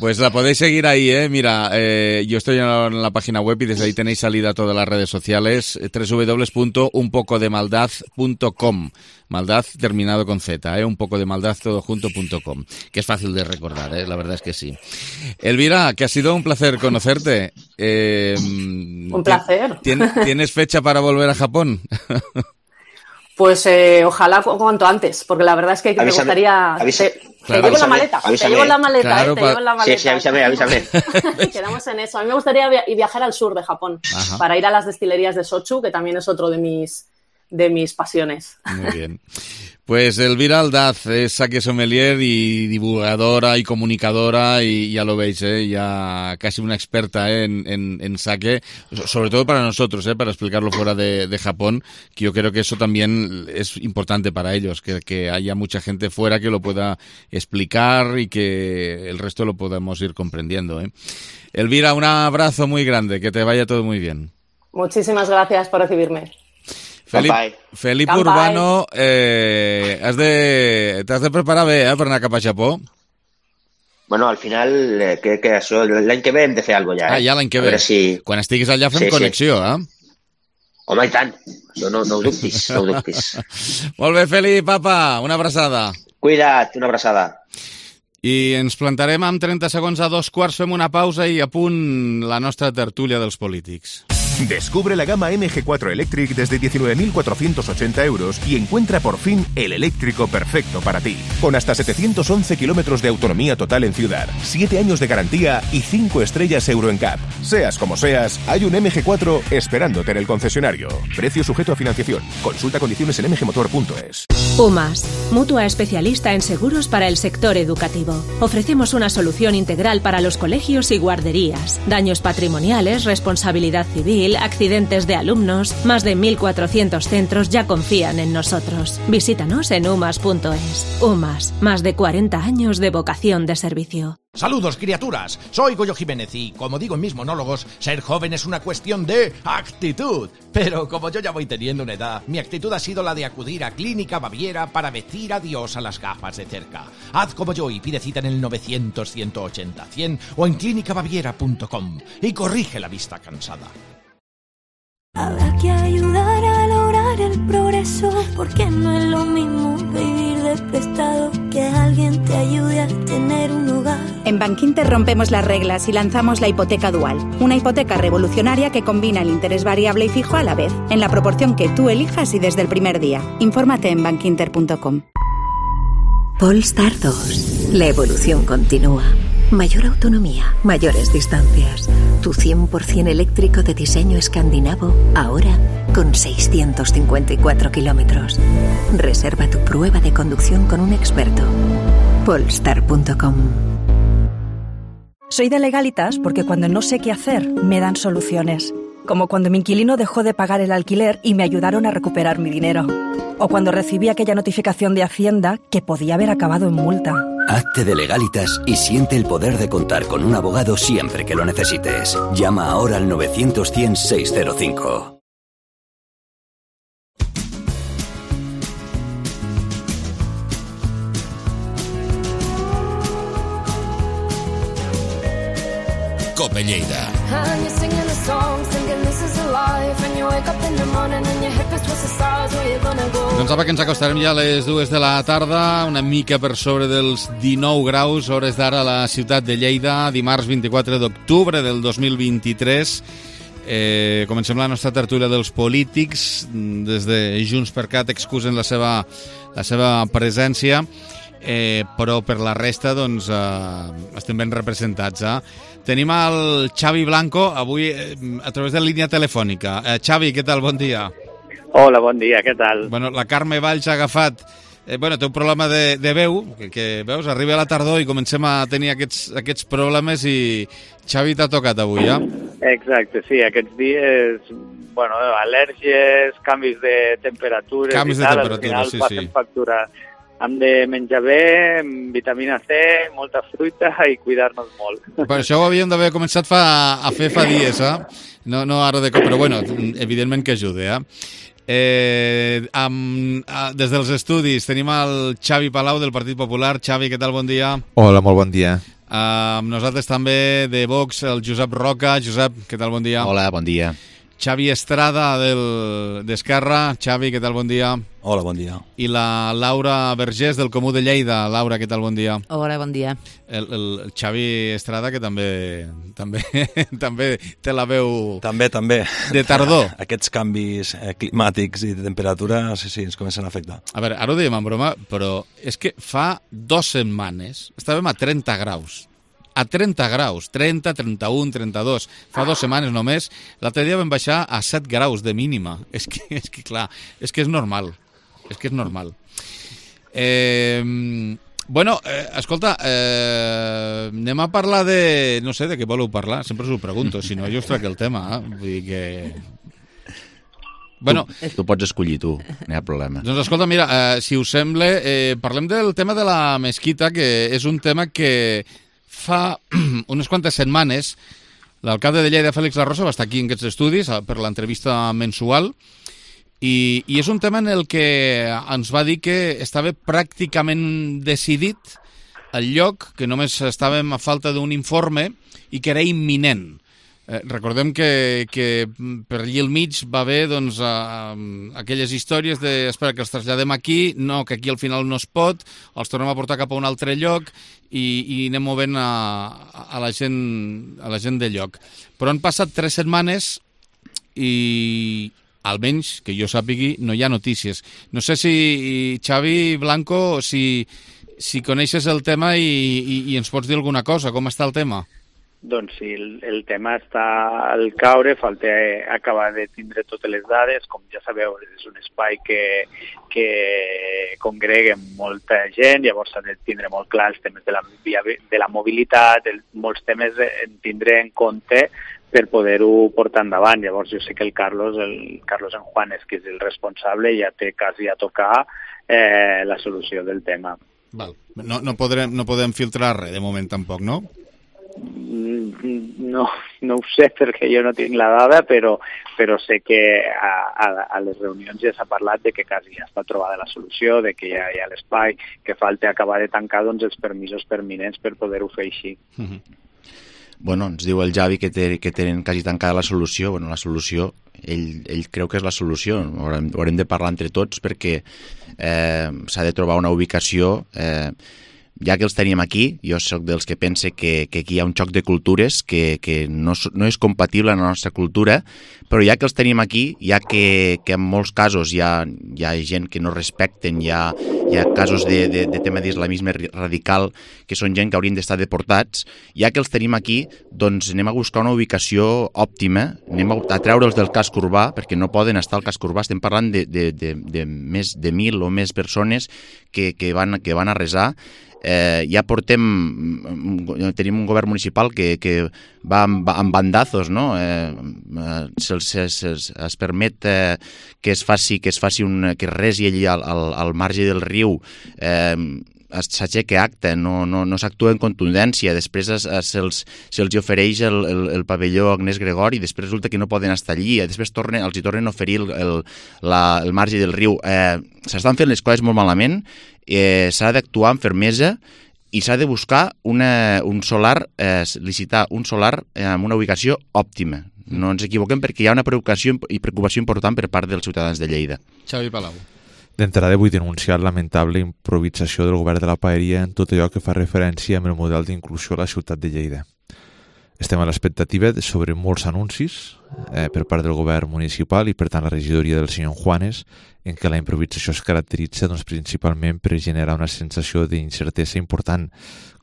Pues la podéis seguir ahí, ¿eh? Mira, eh, yo estoy en la, en la página web y desde ahí tenéis salida a todas las redes sociales, doble u doble u doble u punto un poco de maldad punto com. Maldad terminado con Z, ¿eh? Un poco de maldad todo junto punto com. Que es fácil de recordar, ¿eh? La verdad es que sí. Elvira, que ha sido un placer conocerte. Eh, un placer. ¿tien, ¿Tienes fecha para volver a Japón? Pues eh, ojalá cuanto antes, porque la verdad es que avísame, me gustaría... Avísame, te, claro, te llevo la maleta, avísame, te llevo la maleta, claro, eh, te pa... llevo la maleta. Sí, sí, avísame, avísame. Quedamos en eso. A mí me gustaría via- viajar al sur de Japón, Ajá. para ir a las destilerías de Sochu, que también es otro de mis de mis pasiones. Muy bien. Pues Elvira Aldaz es sake sommelier y divulgadora y comunicadora y ya lo veis, ¿eh? Ya casi una experta, ¿eh? en, en, en sake, sobre todo para nosotros, ¿eh? Para explicarlo fuera de, de Japón, que yo creo que eso también es importante para ellos, que, que haya mucha gente fuera que lo pueda explicar y que el resto lo podamos ir comprendiendo, ¿eh? Elvira, un abrazo muy grande, que te vaya todo muy bien. Muchísimas gracias por recibirme. Felip, Felip Urbano, eh, has de, t'has de preparar bé, eh, per anar cap a Japó. Bueno, al final, eh, que, que això, l'any que ve hem de fer alguna cosa ja. Eh? Ah, ja l'any que ve. Si... Quan estiguis allà fem sí, connexió, sí. eh? Home, i tant. Això no, no ho dubtis, no ho dubtis. Molt bé, Felip, apa, una abraçada. Cuida't, una abraçada. I ens plantarem amb trenta segons a dos quarts, fem una pausa i a punt la nostra tertúlia dels polítics. Descubre la gama M G cuatro Electric desde diecinueve mil cuatrocientos ochenta euros y encuentra por fin el eléctrico perfecto para ti. Con hasta setecientos once kilómetros de autonomía total en ciudad, siete años de garantía y cinco estrellas Euro N C A P. Seas como seas, hay un M G cuatro esperándote en el concesionario. Precio sujeto a financiación. Consulta condiciones en m g motor punto es. UMAS, mutua especialista en seguros para el sector educativo. Ofrecemos una solución integral para los colegios y guarderías. Daños patrimoniales, responsabilidad civil, accidentes de alumnos. Más de mil cuatrocientos centros ya confían en nosotros. Visítanos en umas punto es. UMAS, más de cuarenta años de vocación de servicio. Saludos, criaturas. Soy Goyo Jiménez y, como digo en mis monólogos, ser joven es una cuestión de actitud. Pero como yo ya voy teniendo una edad, mi actitud ha sido la de acudir a Clínica Baviera para decir adiós a las gafas de cerca. Haz como yo y pide cita en el novecientos, ciento ochenta, cien o en clínica baviera punto com y corrige la vista cansada. Habrá que ayudar a lograr el progreso, porque no es lo mismo vivir de prestado que alguien te ayude a tener un hogar. En Bankinter rompemos las reglas y lanzamos la hipoteca dual, una hipoteca revolucionaria que combina el interés variable y fijo a la vez, en la proporción que tú elijas y desde el primer día. Infórmate en bankinter punto com. Polestar dos. La evolución continúa. Mayor autonomía, mayores distancias. Tu cien por ciento eléctrico de diseño escandinavo, ahora con seiscientos cincuenta y cuatro kilómetros. Reserva tu prueba de conducción con un experto. Polestar punto com. Soy de Legalitas porque cuando no sé qué hacer, me dan soluciones. Como cuando mi inquilino dejó de pagar el alquiler y me ayudaron a recuperar mi dinero. O cuando recibí aquella notificación de Hacienda que podía haber acabado en multa. Hazte de Legalitas y siente el poder de contar con un abogado siempre que lo necesites. Llama ahora al novecientos, cien, seiscientos cinco. Cope Lleida. Doncs apa, que ens acostarem ja a les dues de la tarda, una mica per sobre dels dinou graus, hores d'ara a la ciutat de Lleida, dimarts vint-i-quatre d'octubre del dos mil vint-i-tres. Eh, comencem la nostra tertúlia dels polítics. Des de Junts per Cat excusen la seva, la seva presència, eh, però per la resta doncs, eh, estem ben representats. Eh? Tenim el Xavi Blanco avui eh, a través de línia telefònica. Eh, Xavi, què tal? Bon dia. Hola, bon dia, què tal? Bueno, la Carme Valls ha agafat... Eh, bueno, té un problema de, de veu, que, que veus, arriba a la tardor i comencem a tenir aquests, aquests problemes i Xavi t'ha tocat avui, ja? Exacte, sí, aquests dies, bueno, al·lèrgies, canvis de temperatures canvis i tal, de temperatura, al final sí, passem sí. factura. Hem de menjar bé, vitamina C, molta fruita i cuidar-nos molt. Per això ho havíem d'haver començat fa, a fer fa dies, eh? No, no ara de cop, però bueno, evidentment que ajuda, eh? Eh, amb, a, des dels estudis tenim el Xavi Palau del Partit Popular. Xavi, què tal? Bon dia. Hola, molt bon dia. Uh, amb nosaltres també de Vox, el Josep Roca. Josep, què tal? Bon dia. Hola, bon dia. Xavi Estrada del d'Esquerra. Xavi, què tal? Bon dia. Hola, bon dia. I la Laura Vergés del Comú de Lleida. Laura, què tal? Bon dia. Hola, bon dia. El, el Xavi Estrada, que també també també té la veu... També, també. De tardor. Aquests canvis eh, climàtics i de temperatura, sí, sí, ens comencen a afectar. A veure, ara ho dèiem en broma, però és que fa dues setmanes estàvem a trenta graus a trenta graus, trenta, trenta-un, trenta-dos. Fa dues setmanes només. L'altre dia vam baixar a set graus de mínima. És que, és que clar, és que és normal. És que és normal. Eh, bueno, eh, escolta, eh, anem a parlar de... No sé de què voleu parlar, sempre us ho pregunto, si no jo us trac el tema. Eh? Vull dir que... Bueno, tu, tu pots escollir tu, no hi ha problema. Doncs escolta, mira, eh, si us sembla, eh, parlem del tema de la mesquita, que és un tema que fa unes quantes setmanes l'alcalde de Lleida, Fèlix La Rosa, va estar aquí en aquests estudis per l'entrevista mensual i, i és un tema en el que ens va dir que estava pràcticament decidit el lloc, que només estàvem a falta d'un informe i que era imminent. Eh, recordem que, que per allí al mig va haver doncs, a, a, aquelles històries de espera que els traslladem aquí, no, que aquí al final no es pot, els tornem a portar cap a un altre lloc i, i anem movent a, a, la gent, a la gent del lloc. Però han passat tres setmanes i almenys, que jo sàpigui, no hi ha notícies. No sé si, Xavi Blanco, si, si coneixes el tema i, i, i ens pots dir alguna cosa, com està el tema? Doncs sí, el, el tema està al caure, falta acabar de tindre totes les dades. Com ja sabeu, és un espai que, que congrega molta gent, llavors s'ha de tindre molt clar els temes de la, de la mobilitat, el, molts temes en tindre en compte per poder-ho portar endavant. Llavors jo sé que el Carlos, el Carlos Enjuanes, que és el responsable, ja té quasi a tocar eh, la solució del tema. Val. No, no, podrem, no podem filtrar res de moment tampoc, no? No, no ho sé perquè jo no tinc la dada, però, però sé que a, a, a les reunions ja s'ha parlat de que quasi ja està trobada la solució, de que ja hi ha l'espai, que falta acabar de tancar doncs, els permisos permanents per poder-ho fer així. Uh-huh. Bueno, ens diu el Javi que, té, que tenen quasi tancada la solució. Bueno, la solució, ell, ell creu que és la solució. Haurem, haurem de parlar entre tots perquè eh, s'ha de trobar una ubicació... Eh, ja que els tenim aquí, jo soc dels que pense que, que aquí hi ha un xoc de cultures que, que no, no és compatible amb la nostra cultura, però ja que els tenim aquí, ja que, que en molts casos hi ha, hi ha gent que no respecten, hi ha, hi ha casos de, de, de tema d'islamisme radical, que són gent que haurien d'estar deportats, ja que els tenim aquí, doncs anem a buscar una ubicació òptima, anem a, a treure'ls del casc urbà, perquè no poden estar al casc urbà, estem parlant de, de, de, de més de mil o més persones que, que, van, que van a resar. Eh, ja portem, tenim un govern municipal que, que va amb, amb bandazos, no? Eh, se, se, se, es permet eh, que es faci, que es faci un, que resi allí al, al, al marge del riu, eh, s'aixeca acte, no, no, no s'actua en contundència, després se'ls se ofereix el, el, el pavelló Agnès Gregori, després resulta que no poden estar allí, després tornen, els hi tornen a oferir el, el, la, el marge del riu. Eh, s'estan fent les coses molt malament, eh, s'ha d'actuar amb fermesa i s'ha de buscar una, un solar, eh, licitar un solar eh, amb una ubicació òptima. No ens equivoquem perquè hi ha una preocupació i preocupació important per part dels ciutadans de Lleida. Xavi Palau. D'entrada vull denunciar la lamentable improvisació del govern de la Paeria en tot allò que fa referència amb el model d'inclusió a la ciutat de Lleida. Estem a l'expectativa sobre molts anuncis eh, per part del govern municipal i per tant la regidoria del senyor Juanes, en què la improvisació es caracteritza doncs, principalment per generar una sensació d'incertesa important.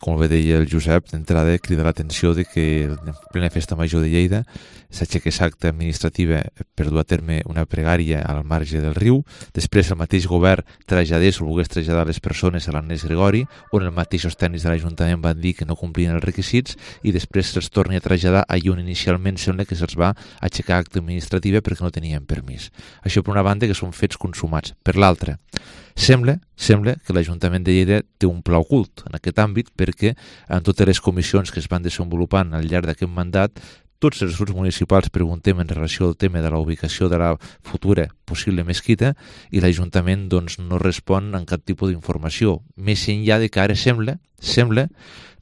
Com bé deia el Josep, d'entrada crida l'atenció de que en plena festa major de Lleida s'aixequés acta administrativa per dur a terme una pregària al marge del riu, després el mateix govern traslladés o volgués traslladar les persones a l'Agnès Gregori, on els mateixos tècnics de l'Ajuntament van dir que no complien els requisits i després se'ls torni a traslladar allà on inicialment sembla que se'ls va aixecar acta administrativa perquè no tenien permís. Això per una banda que són fets consumats. Per l'altra, sembla, sembla que l'Ajuntament de Lleida té un pla ocult en aquest àmbit perquè en totes les comissions que es van desenvolupant al llarg d'aquest mandat tots els grups municipals preguntem en relació al tema de la ubicació de la futura possible mesquita i l'Ajuntament doncs, no respon en cap tipus d'informació. Més enllà de que ara sembla, sembla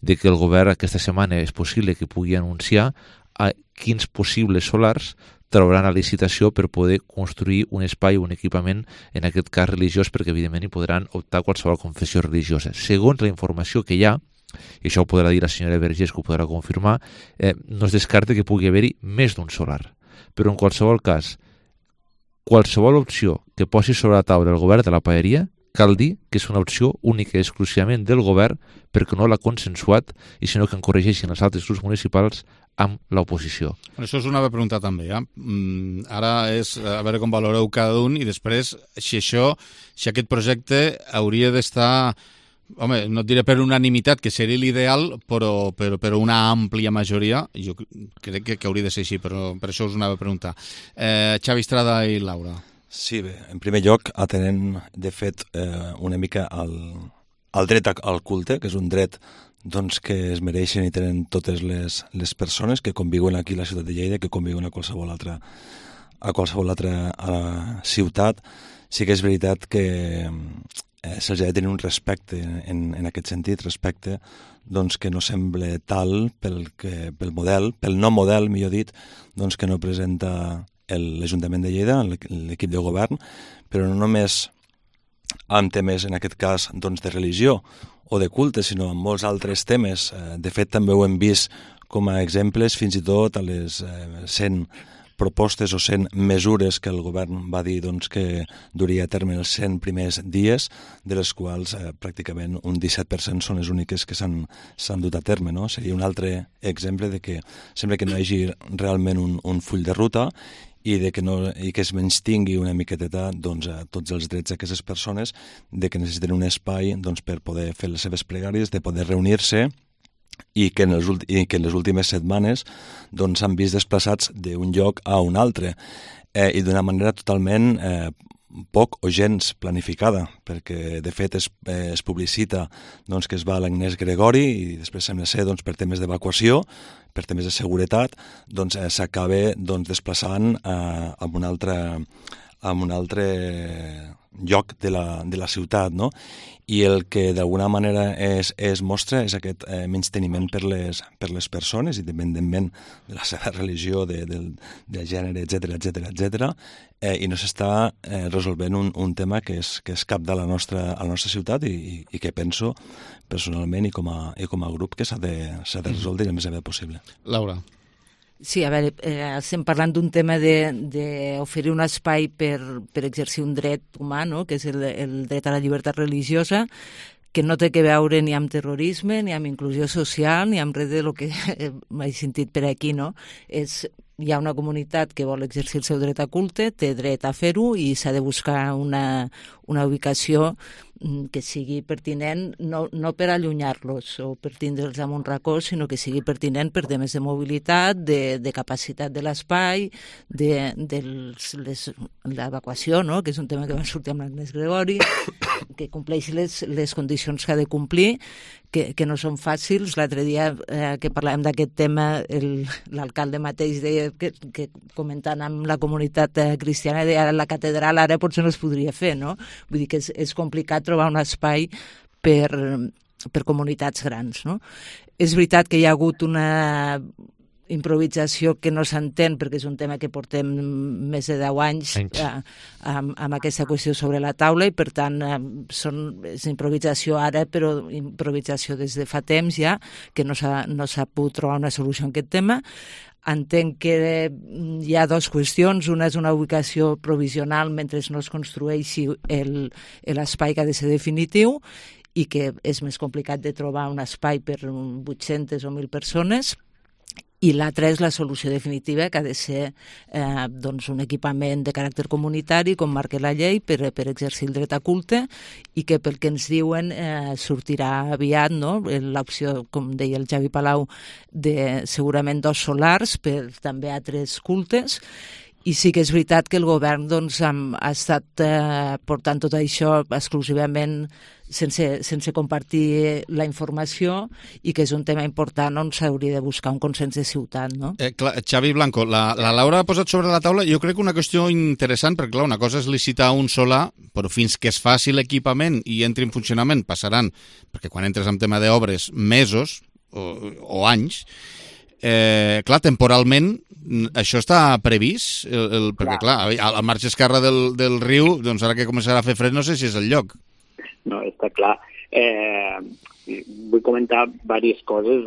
de que el govern aquesta setmana és possible que pugui anunciar a quins possibles solars trauran la licitació per poder construir un espai o un equipament, en aquest cas religiós, perquè evidentment hi podran optar qualsevol confessió religiosa. Segons la informació que hi ha, i això ho podrà dir la senyora Vergés, que ho podrà confirmar, eh, no es descarta que pugui haver-hi més d'un solar. Però en qualsevol cas, qualsevol opció que posi sobre la taula el govern de la Paeria cal dir que és una opció única i exclusivament del govern perquè no l'ha consensuat i sinó que en corregeixin els altres grups municipals amb l'oposició. Això és una pregunta també. Eh? Mm, ara és a veure com valoreu cada un i després si això, si aquest projecte hauria d'estar, home, no et diré per unanimitat, que seria l'ideal, però, però, però una àmplia majoria, jo crec que, que hauria de ser així, però per això us anava a preguntar. Eh, Xavi Estrada i Laura. Sí, bé, en primer lloc, atenent, de fet, eh, una mica al, al dret al culte, que és un dret doncs, que es mereixen i tenen totes les, les persones que conviuen aquí a la ciutat de Lleida, que conviuen a qualsevol altra, a qualsevol altra a la ciutat. Sí que és veritat que eh, se'ls ha de tenir un respecte en, en aquest sentit, respecte doncs, que no sembla tal pel, que, pel model, pel no model, millor dit, doncs, que no presenta l'Ajuntament de Lleida, l'equip de govern, però no només amb temes, en aquest cas, doncs, de religió o de culte, sinó amb molts altres temes. De fet, també ho hem vist com a exemples, fins i tot a les cent propostes o cent mesures que el govern va dir doncs, que duria a terme els cent primers dies, de les quals eh, pràcticament un disset per cent són les úniques que s'han dut a terme. No? Seria un altre exemple de que sembla que no hi hagi realment un, un full de ruta i, de que, no, i que es menystingui una miqueteta doncs, a tots els drets d'aquestes persones, de que necessiten un espai doncs, per poder fer les seves pregàries, de poder reunir-se, i que en les, i que en les últimes setmanes doncs, s'han vist desplaçats d'un lloc a un altre eh, i d'una manera totalment eh, poc o gens planificada, perquè de fet es, eh, es publicita doncs, que es va a l'Agnès Gregori i després sembla ser doncs, per temes d'evacuació, per temes de seguretat, doncs eh, s'acaba doncs, desplaçant eh, a un altre, a un altre lloc de la, de la ciutat, no? I el que d'alguna manera es, es mostra és aquest eh, menysteniment per les, per les persones, independentment de la seva religió, de, de, de gènere, etcètera, etcètera, etcètera, eh, i no s'està eh, resolvent un, un tema que és, que és cap de la nostra, a la nostra ciutat i, i, i que penso personalment i com a, i com a grup que s'ha de, s'ha de resoldre el més aviat possible. Laura. Sí, a veure, eh, estem parlant d'un tema d'oferir un espai per, per exercir un dret humà, no? Que és el, el dret a la llibertat religiosa, que no té que veure ni amb terrorisme, ni amb inclusió social, ni amb res de lo que m'he sentit per aquí, no? És, hi ha una comunitat que vol exercir el seu dret a culte, té dret a fer-ho i s'ha de buscar una, una ubicació que sigui pertinent, no, no per allunyar-los o per tindre'ls en un racó, sinó que sigui pertinent per temes de mobilitat, de, de capacitat de l'espai, de, de l'evacuació, no? Que és un tema que va sortir amb l'Agnès Gregori, que compleixi les, les condicions que ha de complir, que, que no són fàcils. L'altre dia eh, que parlàvem d'aquest tema, l'alcalde mateix deia que, que comentant amb la comunitat eh, cristiana, deia la catedral ara potser no es podria fer, no? Vull dir que és, és complicat trobar un espai per, per comunitats grans, no? És veritat que hi ha hagut una improvisació que no s'entén perquè és un tema que portem més de deu anys eh, amb, amb aquesta qüestió sobre la taula i per tant eh, són, és improvisació ara però improvisació des de fa temps ja que no s'ha no s'ha pogut trobar una solució a aquest tema. Entenc que hi ha dues qüestions, una és una ubicació provisional mentre no es construeixi l'espai que ha de ser definitiu i que és més complicat de trobar un espai per vuit-centes o mil persones. I l'altra és la solució definitiva, que ha de ser eh, doncs un equipament de caràcter comunitari, com marca la llei, per, per exercir el dret a culte, i que pel que ens diuen eh, sortirà aviat, no? L'opció, com deia el Javi Palau, de segurament dos solars per també altres cultes. I sí que és veritat que el govern doncs, ha estat eh, portant tot això exclusivament sense, sense compartir la informació i que és un tema important on s'hauria de buscar un consens de ciutat. No? Eh, clar, Xavi Blanco, la, la Laura ha posat sobre la taula jo crec una qüestió interessant, perquè clar, una cosa és licitar un solar, però fins que es faci l'equipament i entri en funcionament passaran, perquè quan entres en tema d'obres, mesos o, o anys. Eh, clar, temporalment això està previst el, el, perquè clar, al marge esquerra del, del riu, doncs ara que començarà a fer fred no sé si és el lloc. No, està clar. Eh, vull comentar diverses coses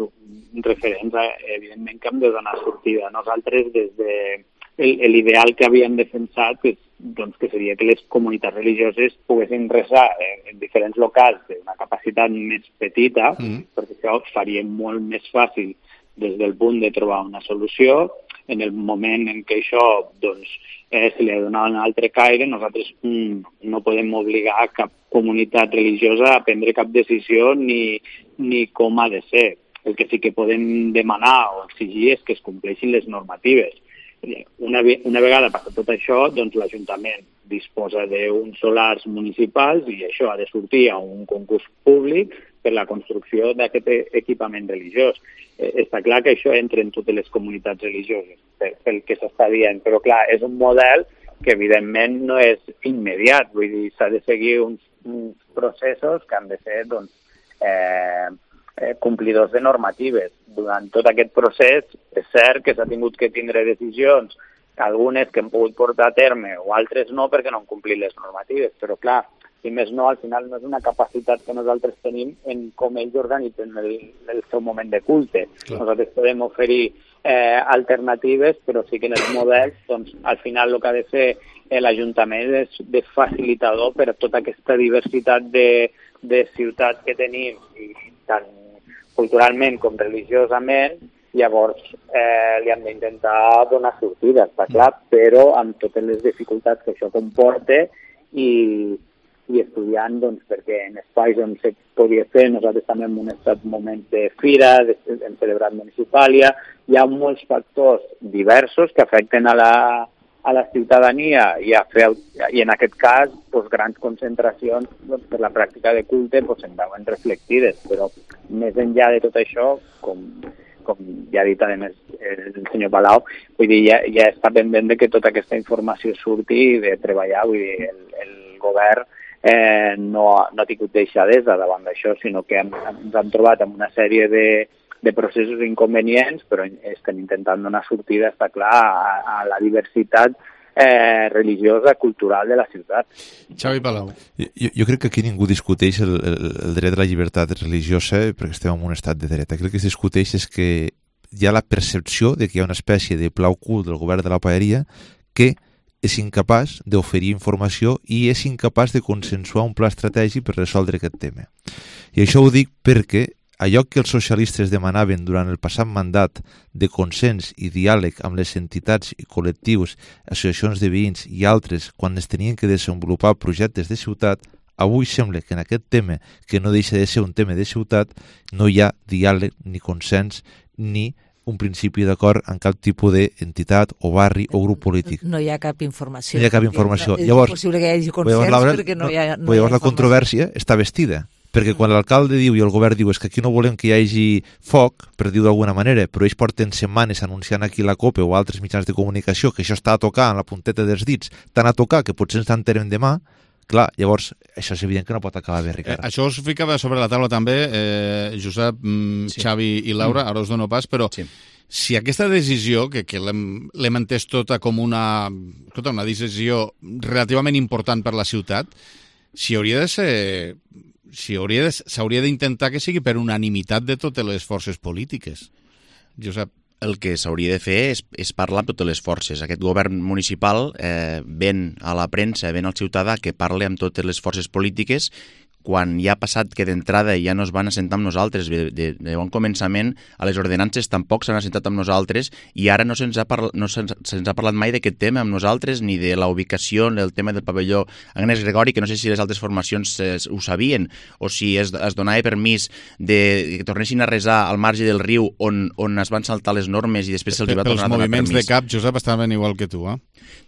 referents a, evidentment, que hem de donar sortida. Nosaltres, des de l'ideal que havíem defensat, és doncs que seria que les comunitats religioses poguessin resar en, en diferents locals d'una capacitat més petita, mm. perquè això faria molt més fàcil des del punt de trobar una solució. En el moment en què això doncs, eh, se li ha donat un altre caire, nosaltres mm, no podem obligar a cap comunitat religiosa a prendre cap decisió ni, ni com ha de ser. El que sí que podem demanar o exigir és que es compleixin les normatives. Una, una vegada passat tot això, doncs l'Ajuntament disposa d'uns solars municipals i això ha de sortir a un concurs públic per la construcció d'aquest equipament religiós. Eh, està clar que això entra en totes les comunitats religioses, pel que s'està dient, però clar, és un model que evidentment no és immediat, vull dir, s'ha de seguir uns, uns processos que han de ser doncs, eh, eh, complidors de normatives. Durant tot aquest procés és cert que s'ha tingut que tindre decisions, algunes que han pogut portar a terme o altres no perquè no han complit les normatives, però clar, si més no, al final no és una capacitat que nosaltres tenim en com ells organitzen el, el seu moment de culte. Clar. Nosaltres podem oferir eh, alternatives, però sí que en els models, doncs, al final el que ha de fer eh, l'Ajuntament és de facilitador per a tota aquesta diversitat de, de ciutats que tenim, i tant culturalment com religiosament, llavors eh, li hem d'intentar donar sortida, està clar, però amb totes les dificultats que això comporta i i estudiant, doncs, perquè en espais on se podia fer, nosaltres també hem estat moments de fira, de, hem celebrat municipàlia, hi ha molts factors diversos que afecten a la, a la ciutadania i, a fer, i en aquest cas doncs, grans concentracions doncs, per la pràctica de culte doncs, en veuen reflectides, però més enllà de tot això, com, com ja ha dit a més el senyor Palau, vull dir, ja, ja està pendent de que tota aquesta informació surti i de treballar, vull dir, el, el govern Eh, no, no ha tingut deixadesa davant d'això, sinó que hem, ens hem trobat amb una sèrie de, de processos inconvenients, però estem intentant donar sortida, està clar, a, a la diversitat eh, religiosa, cultural de la ciutat. Xavi Palau. Jo, jo crec que aquí ningú discuteix el, el, el dret a la llibertat religiosa perquè estem en un estat de dret. Aquí el que es discuteix és que hi ha la percepció de que hi ha una espècie de pla ocult del govern de la paeria que és incapaç d'oferir informació i és incapaç de consensuar un pla estratègic per resoldre aquest tema. I això ho dic perquè allò que els socialistes demanaven durant el passat mandat de consens i diàleg amb les entitats i col·lectius, associacions de veïns i altres quan es tenien que desenvolupar projectes de ciutat, avui sembla que en aquest tema, que no deixa de ser un tema de ciutat, no hi ha diàleg ni consens ni un principi d'acord en cap tipus d'entitat o barri o grup polític. No hi ha cap informació. No hi ha cap informació. És llavors, impossible que hi hagi consens llavors, Laura, perquè no hi ha, no llavors hi ha la controvèrsia està vestida. Perquè quan l'alcalde diu i el govern diu és que aquí no volem que hi hagi foc, per dir-ho d'alguna manera, però ells porten setmanes anunciant aquí la COPE o altres mitjans de comunicació que això està a tocar en la punteta dels dits, tant a tocar que potser ens enterem demà, clar, llavors això és evident que no pot acabar bé, Ricard. Eh, això us ficava sobre la taula també, eh, Josep, mm, sí. Xavi i Laura, ara us dono pas, però sí. Si aquesta decisió, que, que l'hem entès tota com una, escolta, una decisió relativament important per la ciutat, si hauria de ser... si hauria de, s'hauria d'intentar que sigui per unanimitat de totes les forces polítiques. Josep. El que s'hauria de fer és, és parlar amb totes les forces. Aquest govern municipal eh, ven a la premsa, ven al ciutadà que parli amb totes les forces polítiques quan ja ha passat que d'entrada ja no es van assentar amb nosaltres, de, de, de bon començament a les ordenances tampoc s'han assentat amb nosaltres i ara no se'ns ha, parla, no se'ns, se'ns ha parlat mai d'aquest tema amb nosaltres ni de la ubicació, del tema del pavelló Agnès Gregori, que no sé si les altres formacions eh, ho sabien o si es, es donava permís de que tornessin a resar al marge del riu on, on es van saltar les normes i després se'ls va tornar a donar permís. Els moviments de cap, Josep, estaven igual que tu, eh?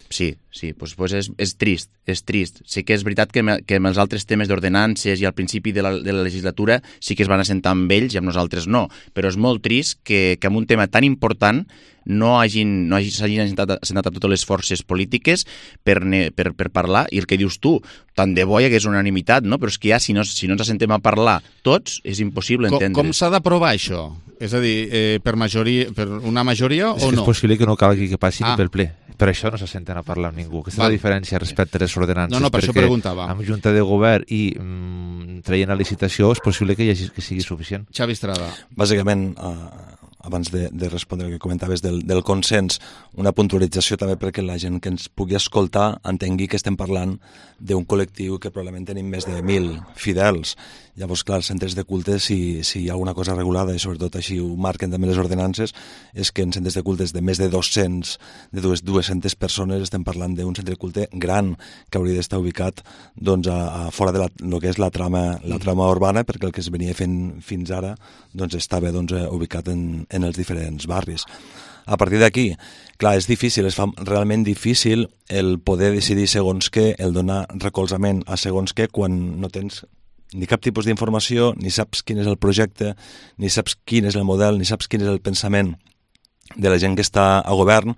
Sí, sí, doncs, doncs és, és trist, és trist. Sí que és veritat que, me, que amb els altres temes d'ordenances i al principi de la, de la legislatura sí que es van assentar amb ells i amb nosaltres no, però és molt trist que, que amb un tema tan important no hagin, no hagin, s'hagin assentat, assentat a totes les forces polítiques per, ne, per, per parlar, i el que dius tu, tant de bo hi hagués unanimitat, no? Però és que ja si no, si no ens assentem a parlar tots, és impossible entendre. Com, com s'ha d'aprovar això? És a dir, eh, per, majoria, per una majoria és o no? És possible que no calgui que passi ah. ni pel ple. Per això no s'assenten a parlar amb ningú. Aquesta Val. és la diferència respecte a les ordenances. No, no, per això preguntava. Amb junta de govern i mm, traient a licitació és possible que, hi hagi, que sigui suficient. Xavi Estrada. Bàsicament, uh, abans de, de respondre el que comentaves del, del consens, una puntualització també perquè la gent que ens pugui escoltar entengui que estem parlant d'un col·lectiu que probablement tenim més de mil fidels. Llavors, clar, els centres de culte, si, si hi ha alguna cosa regulada, i sobretot així ho marquen també les ordenances, és que en centres de cultes de més de dos-cents, de dues-centes persones, estem parlant d'un centre de culte gran que hauria d'estar ubicat doncs, a, a fora de la, el que és la trama, la trama urbana, perquè el que es venia fent fins ara doncs, estava doncs, ubicat en, en els diferents barris. A partir d'aquí, clar, és difícil, es fa realment difícil el poder decidir segons què, el donar recolzament a segons què, quan no tens ni cap tipus d'informació, ni saps quin és el projecte, ni saps quin és el model, ni saps quin és el pensament de la gent que està a govern.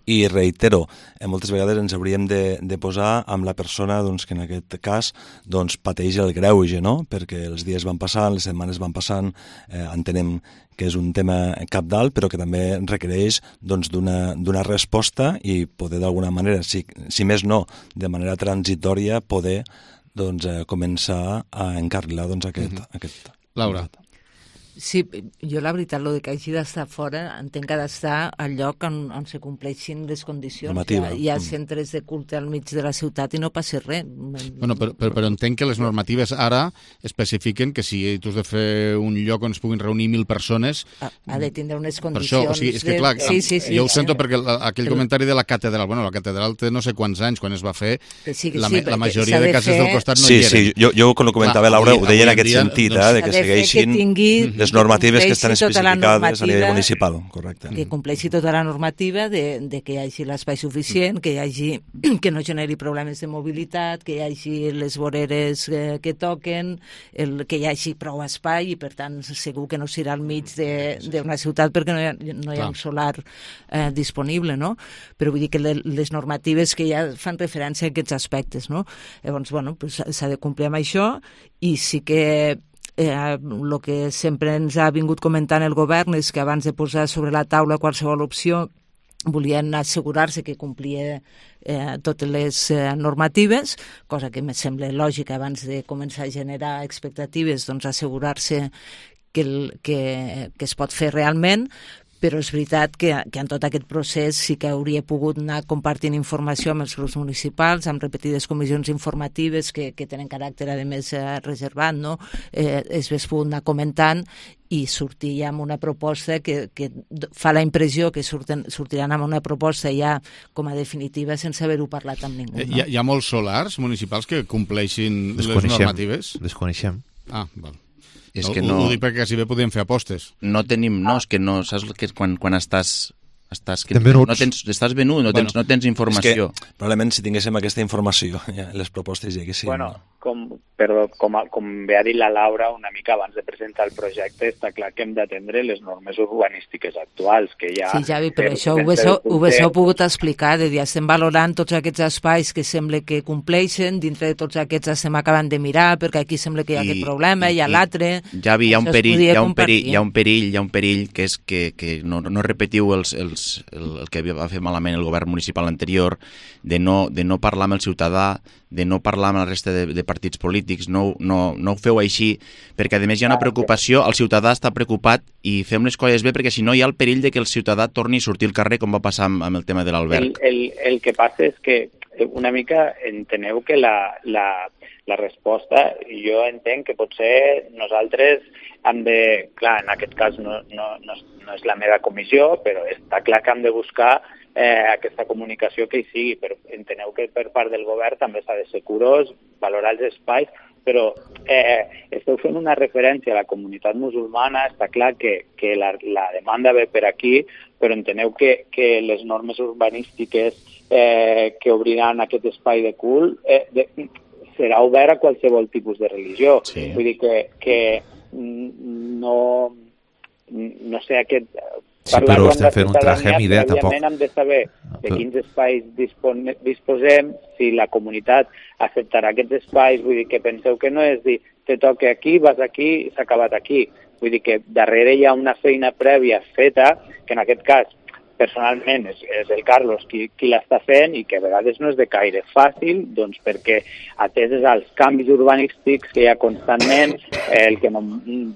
I reitero, eh, moltes vegades ens hauríem de, de posar amb la persona doncs, que en aquest cas doncs, pateix el greuge, no? Perquè els dies van passant, les setmanes van passant, eh, entenem que és un tema cabdal, però que també requereix doncs, d'una d'una resposta i poder d'alguna manera, si, si més no, de manera transitòria, poder doncs, eh, començar a encarrilar doncs, aquest, mm-hmm. aquest... Laura. Sí, jo la veritat, el que hagi d'estar fora, entenc que ha d'estar al lloc on, on se compleixin les condicions. Normativa. Hi ha, hi ha centres de culte al mig de la ciutat i no passa res. Bueno, però, però, però entenc que les normatives ara especifiquen que si tu has de fer un lloc on es puguin reunir mil persones... Ha, ha de tindre unes condicions... Per això, o sigui, és que clar, de... sí, sí, sí, jo ho sento sí. perquè aquell Però... comentari de la catedral, bueno, la catedral té no sé quants anys quan es va fer, sí, la, sí, la majoria de de cases fer... del costat no sí, hi eren. Sí, jo, jo quan ho comentava, clar, Laura, ho deia en aquest dia, sentit, doncs, eh, de que segueixin que les normatives que estan especificades a nivell municipal, correcte. Que compleixi tota la normativa de, de que hi hagi l'espai suficient, que hi hagi que no generi problemes de mobilitat, que hi hagi les voreres eh, que toquen, el, que hi hagi prou espai i per tant segur que no serà al mig d'una ciutat perquè no hi ha, no hi ha un solar eh, disponible, no? Però vull dir que le, les normatives que ja fan referència a aquests aspectes, no? Llavors, bueno, pues, s'ha de complir amb això i sí que el eh, que sempre ens ha vingut comentant el govern és que abans de posar sobre la taula qualsevol opció volien assegurar-se que complia eh, totes les eh, normatives, cosa que em sembla lògica abans de començar a generar expectatives, doncs assegurar-se que, el, que, que es pot fer realment, però és veritat que, que en tot aquest procés sí que hauria pogut anar compartint informació amb els grups municipals, amb repetides comissions informatives que, que tenen caràcter, a més, eh, reservat, no? Eh, es hauria pogut anar comentant i sortir ja amb una proposta que, que fa la impressió que surten, sortiran amb una proposta ja com a definitiva sense haver-ho parlat amb ningú. No? Hi, ha, hi ha molts solars municipals que compleixin les normatives? Desconeixem. Ah, val. És no, que no... Ho dic perquè si bé podíem fer apostes. No tenim, no, és que no, saps que és quan, quan estàs... Estàs, que, no tens, estàs venut, no tens, bueno, no tens informació. És que, probablement, si tinguéssim aquesta informació, ja, les propostes ja que sí. Bueno, com, perdó, com, com bé ha dit la Laura una mica abans de presentar el projecte, està clar que hem d'atendre les normes urbanístiques actuals, que ja... Sí, Javi, però per, això ho haguéssiu pogut explicar, de dir, estem valorant tots aquests espais que sembla que compleixen, dintre de tots aquests estem acabant de mirar, perquè aquí sembla que hi ha I, aquest problema, i, hi ha l'altre... Javi, hi ha un perill, hi ha un perill, hi ha un perill, hi ha un perill, que és que, que no, no repetiu els, els El, el que va fer malament el govern municipal anterior, de no, de no parlar amb el ciutadà, de no parlar amb la resta de, de partits polítics, no, no, no ho feu així, perquè a més hi ha una preocupació, el ciutadà està preocupat i fem les coses bé, perquè si no hi ha el perill de que el ciutadà torni a sortir al carrer, com va passar amb, amb el tema de l'alberg. El, el, el que passa és que una mica enteneu que la, la, la resposta, jo entenc que potser nosaltres hem de, clar, en aquest cas no, no, no, no és la meva comissió, però està clar que hem de buscar eh, aquesta comunicació que hi sigui, però enteneu que per part del govern també s'ha de ser curós, valorar els espais, però eh, esteu fent una referència a la comunitat musulmana, està clar que, que la, la demanda ve per aquí, però enteneu que, que les normes urbanístiques eh, que obriran aquest espai de cul eh, de, serà obert a qualsevol tipus de religió. Sí. Vull dir que, que no, no sé, aquest... Sí, però estem fent un traje amb idea, tampoc. Hem de saber de quins espais dispone, disposem, si la comunitat acceptarà aquests espais, vull dir que penseu que no és dir, te toca aquí, vas aquí, s'ha acabat aquí. Vull dir que darrere hi ha una feina prèvia feta, que en aquest cas personalment és, és el Carlos qui, qui l'està fent i que a vegades no és de caire fàcil, doncs perquè ateses als canvis urbanístics que hi ha constantment, el que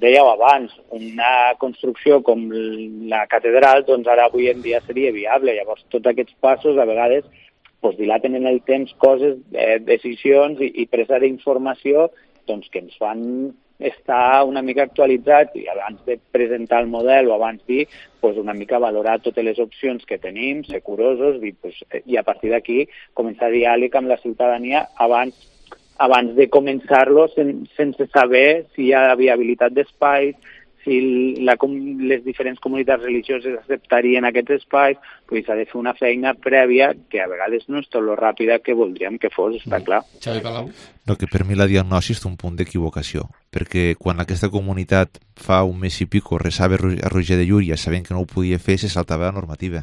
dèieu abans, una construcció com la catedral, doncs ara avui en dia seria viable. Llavors tots aquests passos a vegades doncs, dilaten en el temps coses, eh, decisions i, i presa d'informació doncs, que ens fan estar una mica actualitzats i abans de presentar el model o abans dir, pues una mica valorar totes les opcions que tenim, ser curosos i, pues, i a partir d'aquí començar diàleg amb la ciutadania abans, abans de començar-lo sen, sense saber si hi ha viabilitat d'espais, si la, les diferents comunitats religioses acceptarien aquests espais, pues s'ha de fer una feina prèvia que a vegades no és tot lo ràpida que voldríem que fos, està clar. Xavi Palau. No, que per mi la diagnosi és un punt d'equivocació, perquè quan aquesta comunitat fa un mes i pico resava a Roger de Llúria sabent que no ho podia fer, se saltava la normativa.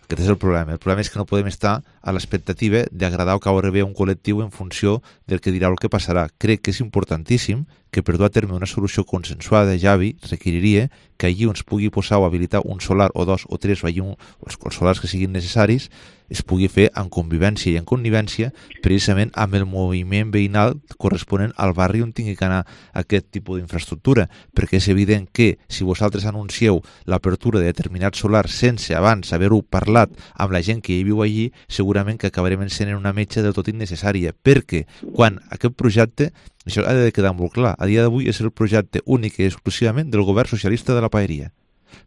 Aquest és el problema. El problema és que no podem estar a l'expectativa d'agradar o caure bé a un col·lectiu en funció del que dirà o el que passarà. Crec que és importantíssim que per dur a terme una solució consensuada, Javi, requeriria que allí on es pugui posar o habilitar un solar o dos o tres o allí un, els solars que siguin necessaris es pugui fer en convivència i en connivència precisament amb el moviment veïnal corresponent al barri on tingui que anar aquest tipus d'infraestructura, perquè és evident que si vosaltres anuncieu l'apertura de determinats solars sense abans haver-ho parlat amb la gent que hi viu allí, segurament que acabarem encenent una metxa del tot innecessària, perquè quan aquest projecte, això ha de quedar molt clar, a dia d'avui és el projecte únic i exclusivament del govern socialista de la Paeria,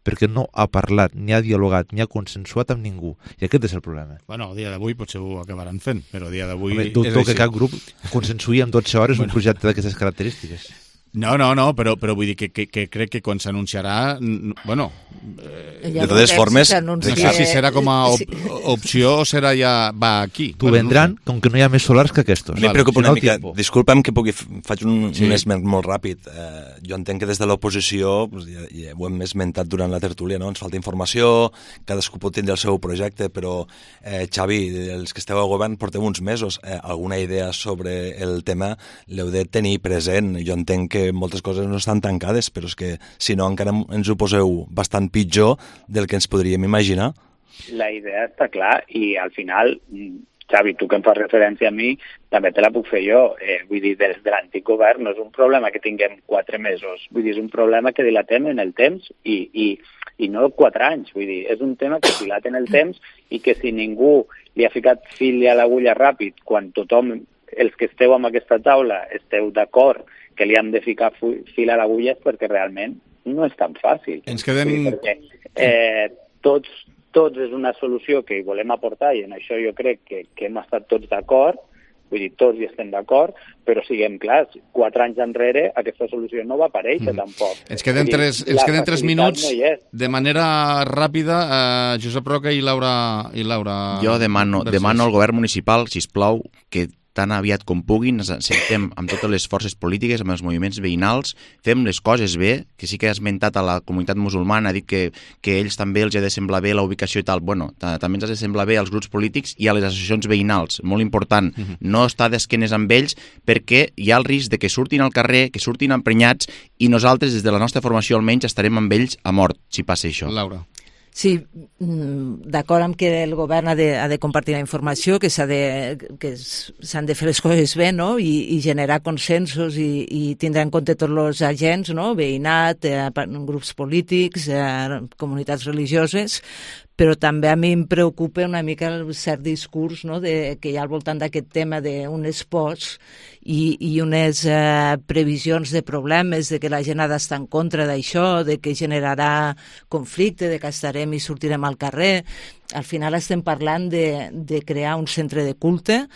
perquè no ha parlat, ni ha dialogat, ni ha consensuat amb ningú. I aquest és el problema. Bueno, a dia d'avui potser ho acabaran fent, però a dia d'avui... Home, dubto que cap grup consensuï en dotze hores bueno. un projecte d'aquestes característiques. No, no, no, però, però vull dir que, que, que crec que quan s'anunciarà... Bueno... Eh, de totes formes... No sé si serà com a op opció o serà ja... Va aquí. T'ho vendran com que no hi ha més solars que aquests. A mi em preocupa una mica... Disculpa'm que pugui... Faig un, sí. un esment molt ràpid. Eh, jo entenc que des de l'oposició, pues, ja, ja ho hem esmentat durant la tertúlia, no? Ens falta informació, cadascú pot tindre el seu projecte, però, eh, Xavi, els que esteu al govern porteu uns mesos. Eh, alguna idea sobre el tema l'heu de tenir present. Jo entenc que moltes coses no estan tancades, però és que si no encara ens ho poseu bastant pitjor del que ens podríem imaginar. La idea està clar i al final, Xavi, tu que em fas referència a mi, també te la puc fer jo. Eh, vull dir, des de l'antic govern no és un problema que tinguem quatre mesos, vull dir, és un problema que dilatem en el temps i, i, i no quatre anys, vull dir, és un tema que dilata en el temps i que si ningú li ha ficat fil a l'agulla ràpid, quan tothom, els que esteu en aquesta taula, esteu d'acord que li hem de ficar fil a l'agulla és perquè realment no és tan fàcil. Ens queden... Sí, perquè eh, tots, tots és una solució que hi volem aportar i en això jo crec que, que hem estat tots d'acord, vull dir, tots hi estem d'acord, però siguem clars, quatre anys enrere aquesta solució no va aparèixer mm. tampoc. Ens queden tres, dir, ens queden tres minuts, no de manera ràpida, eh, Josep Roca i Laura... I Laura jo demano, demano al govern municipal, sisplau, que tan aviat com puguin, ens sentem amb totes les forces polítiques, amb els moviments veïnals, fem les coses bé, que sí que ha esmentat a la comunitat musulmana, ha dit que, que ells també els ha de semblar bé la ubicació i tal. Bueno, també ens ha de semblar bé als grups polítics i a les associacions veïnals, molt important. Uh-huh. No estar d'esquenes amb ells perquè hi ha el risc de que surtin al carrer, que surtin emprenyats i nosaltres, des de la nostra formació almenys, estarem amb ells a mort, si passa això. Laura. Sí, d'acord amb que el govern ha de, ha de compartir la informació, que s'ha de, que s'han de fer les coses bé, no? I, i generar consensos i, i tindre en compte tots els agents, no? Veïnat, eh, grups polítics, eh, comunitats religioses, però també a mi em preocupa una mica el cert discurs, no? de, que hi ha al voltant d'aquest tema d'unes pors i, i unes eh, previsions de problemes, de que la gent ha d'estar en contra d'això, de que generarà conflicte, de que estarem i sortirem al carrer. Al final estem parlant de, de crear un centre de culte,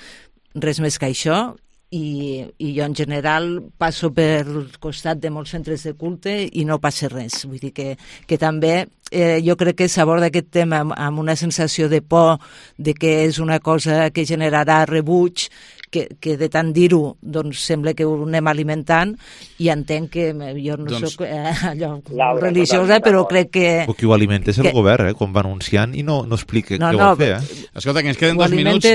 res més que això, i, i jo en general passo per costat de molts centres de culte i no passa res. Vull dir que, que també eh, jo crec que s'aborda aquest tema amb, amb una sensació de por, de que és una cosa que generarà rebuig, que, que de tant dir-ho doncs sembla que ho anem alimentant, i entenc que jo no doncs... soc eh, allò Laura, religiosa, però crec que... O qui ho alimenta és el que... govern, eh, quan va anunciant i no, no explica no, què no, vol fer. Eh? Escolta, que ens queden dos minuts,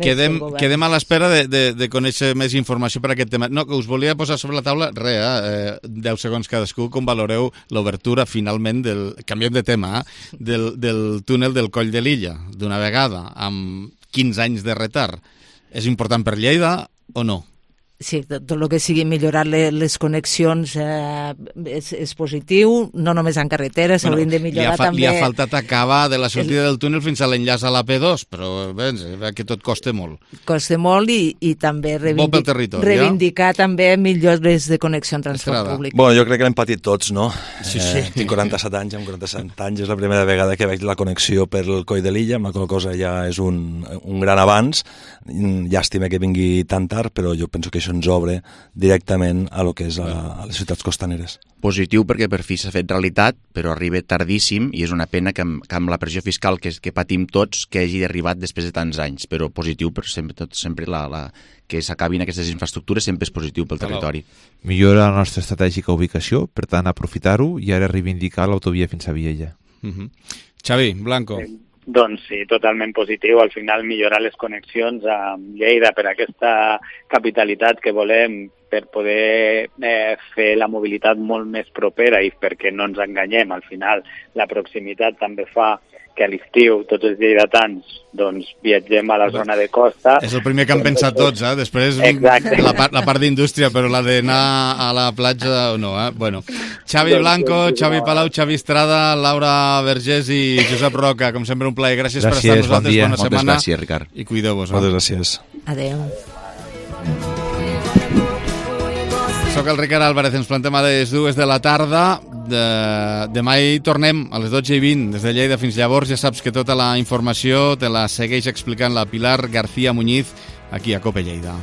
quedem, quedem a l'espera de, de, de conèixer més informació per aquest tema. No, que us volia posar sobre la taula, re, eh, deu segons cadascú, com valoreu l'obertura finalment del, canviem de tema, eh, del, del túnel del Coll de Lilla, d'una vegada, amb quinze anys de retard. És important per Lleida o no? Sí, tot el que sigui millorar les connexions eh, és, és positiu, no només en carretera, s'haurien bueno, de millorar li fa, també... Li ha faltat acabar de la sortida el... del túnel fins a l'enllaç a l'A P dos, però bé, que tot costa molt. Costa molt i, i també reivindic... reivindicar ja? també millores de connexió en transport Estrada. Públic. Bueno, jo crec que l'hem patit tots, no? Sí, sí. Eh, tinc quaranta-set anys, amb quaranta-set anys és la primera vegada que veig la connexió per el Coll de Lilla, amb la qual cosa ja és un, un gran avanç. Llàstima que vingui tan tard, però jo penso que això ens obre directament a lo que és a, a les ciutats costaneres. Positiu perquè per fi s'ha fet realitat, però arriba tardíssim i és una pena que amb, que amb la pressió fiscal que, que patim tots que hagi arribat després de tants anys, però positiu, però sempre, tot, sempre la, la, que s'acabin aquestes infraestructures sempre és positiu pel territori. Millora la nostra estratègica ubicació, per tant aprofitar-ho i ara reivindicar l'autovia fins a Viella. Uh-huh. Xavi, Blanco. Sí. Doncs sí, totalment positiu. Al final millorar les connexions amb Lleida per aquesta capitalitat que volem, per poder eh, fer la mobilitat molt més propera i perquè no ens enganyem, al final la proximitat també fa que a l'estiu tots els lleidatans doncs, viatgem a la zona de costa. És el primer que han pensat tots, eh? Després Exacte. la part, la part d'indústria, però la d'anar a la platja o no. Eh? Bueno, Xavi Blanco, Xavi Palau, Xavi Estrada, Laura Vergés i Josep Roca, com sempre un plaer. Gràcies, gràcies per estar amb nosaltres. Bon Bona Moltes setmana. Gràcies, Ricard. I cuideu-vos. Moltes eh? gràcies. Adéu. Soc el Ricard Álvarez, ens plantem a les dues de la tarda. De... Demà hi tornem a les dotze i vint, des de Lleida fins llavors. Ja saps que tota la informació te la segueix explicant la Pilar García Muñiz aquí a Cope Lleida.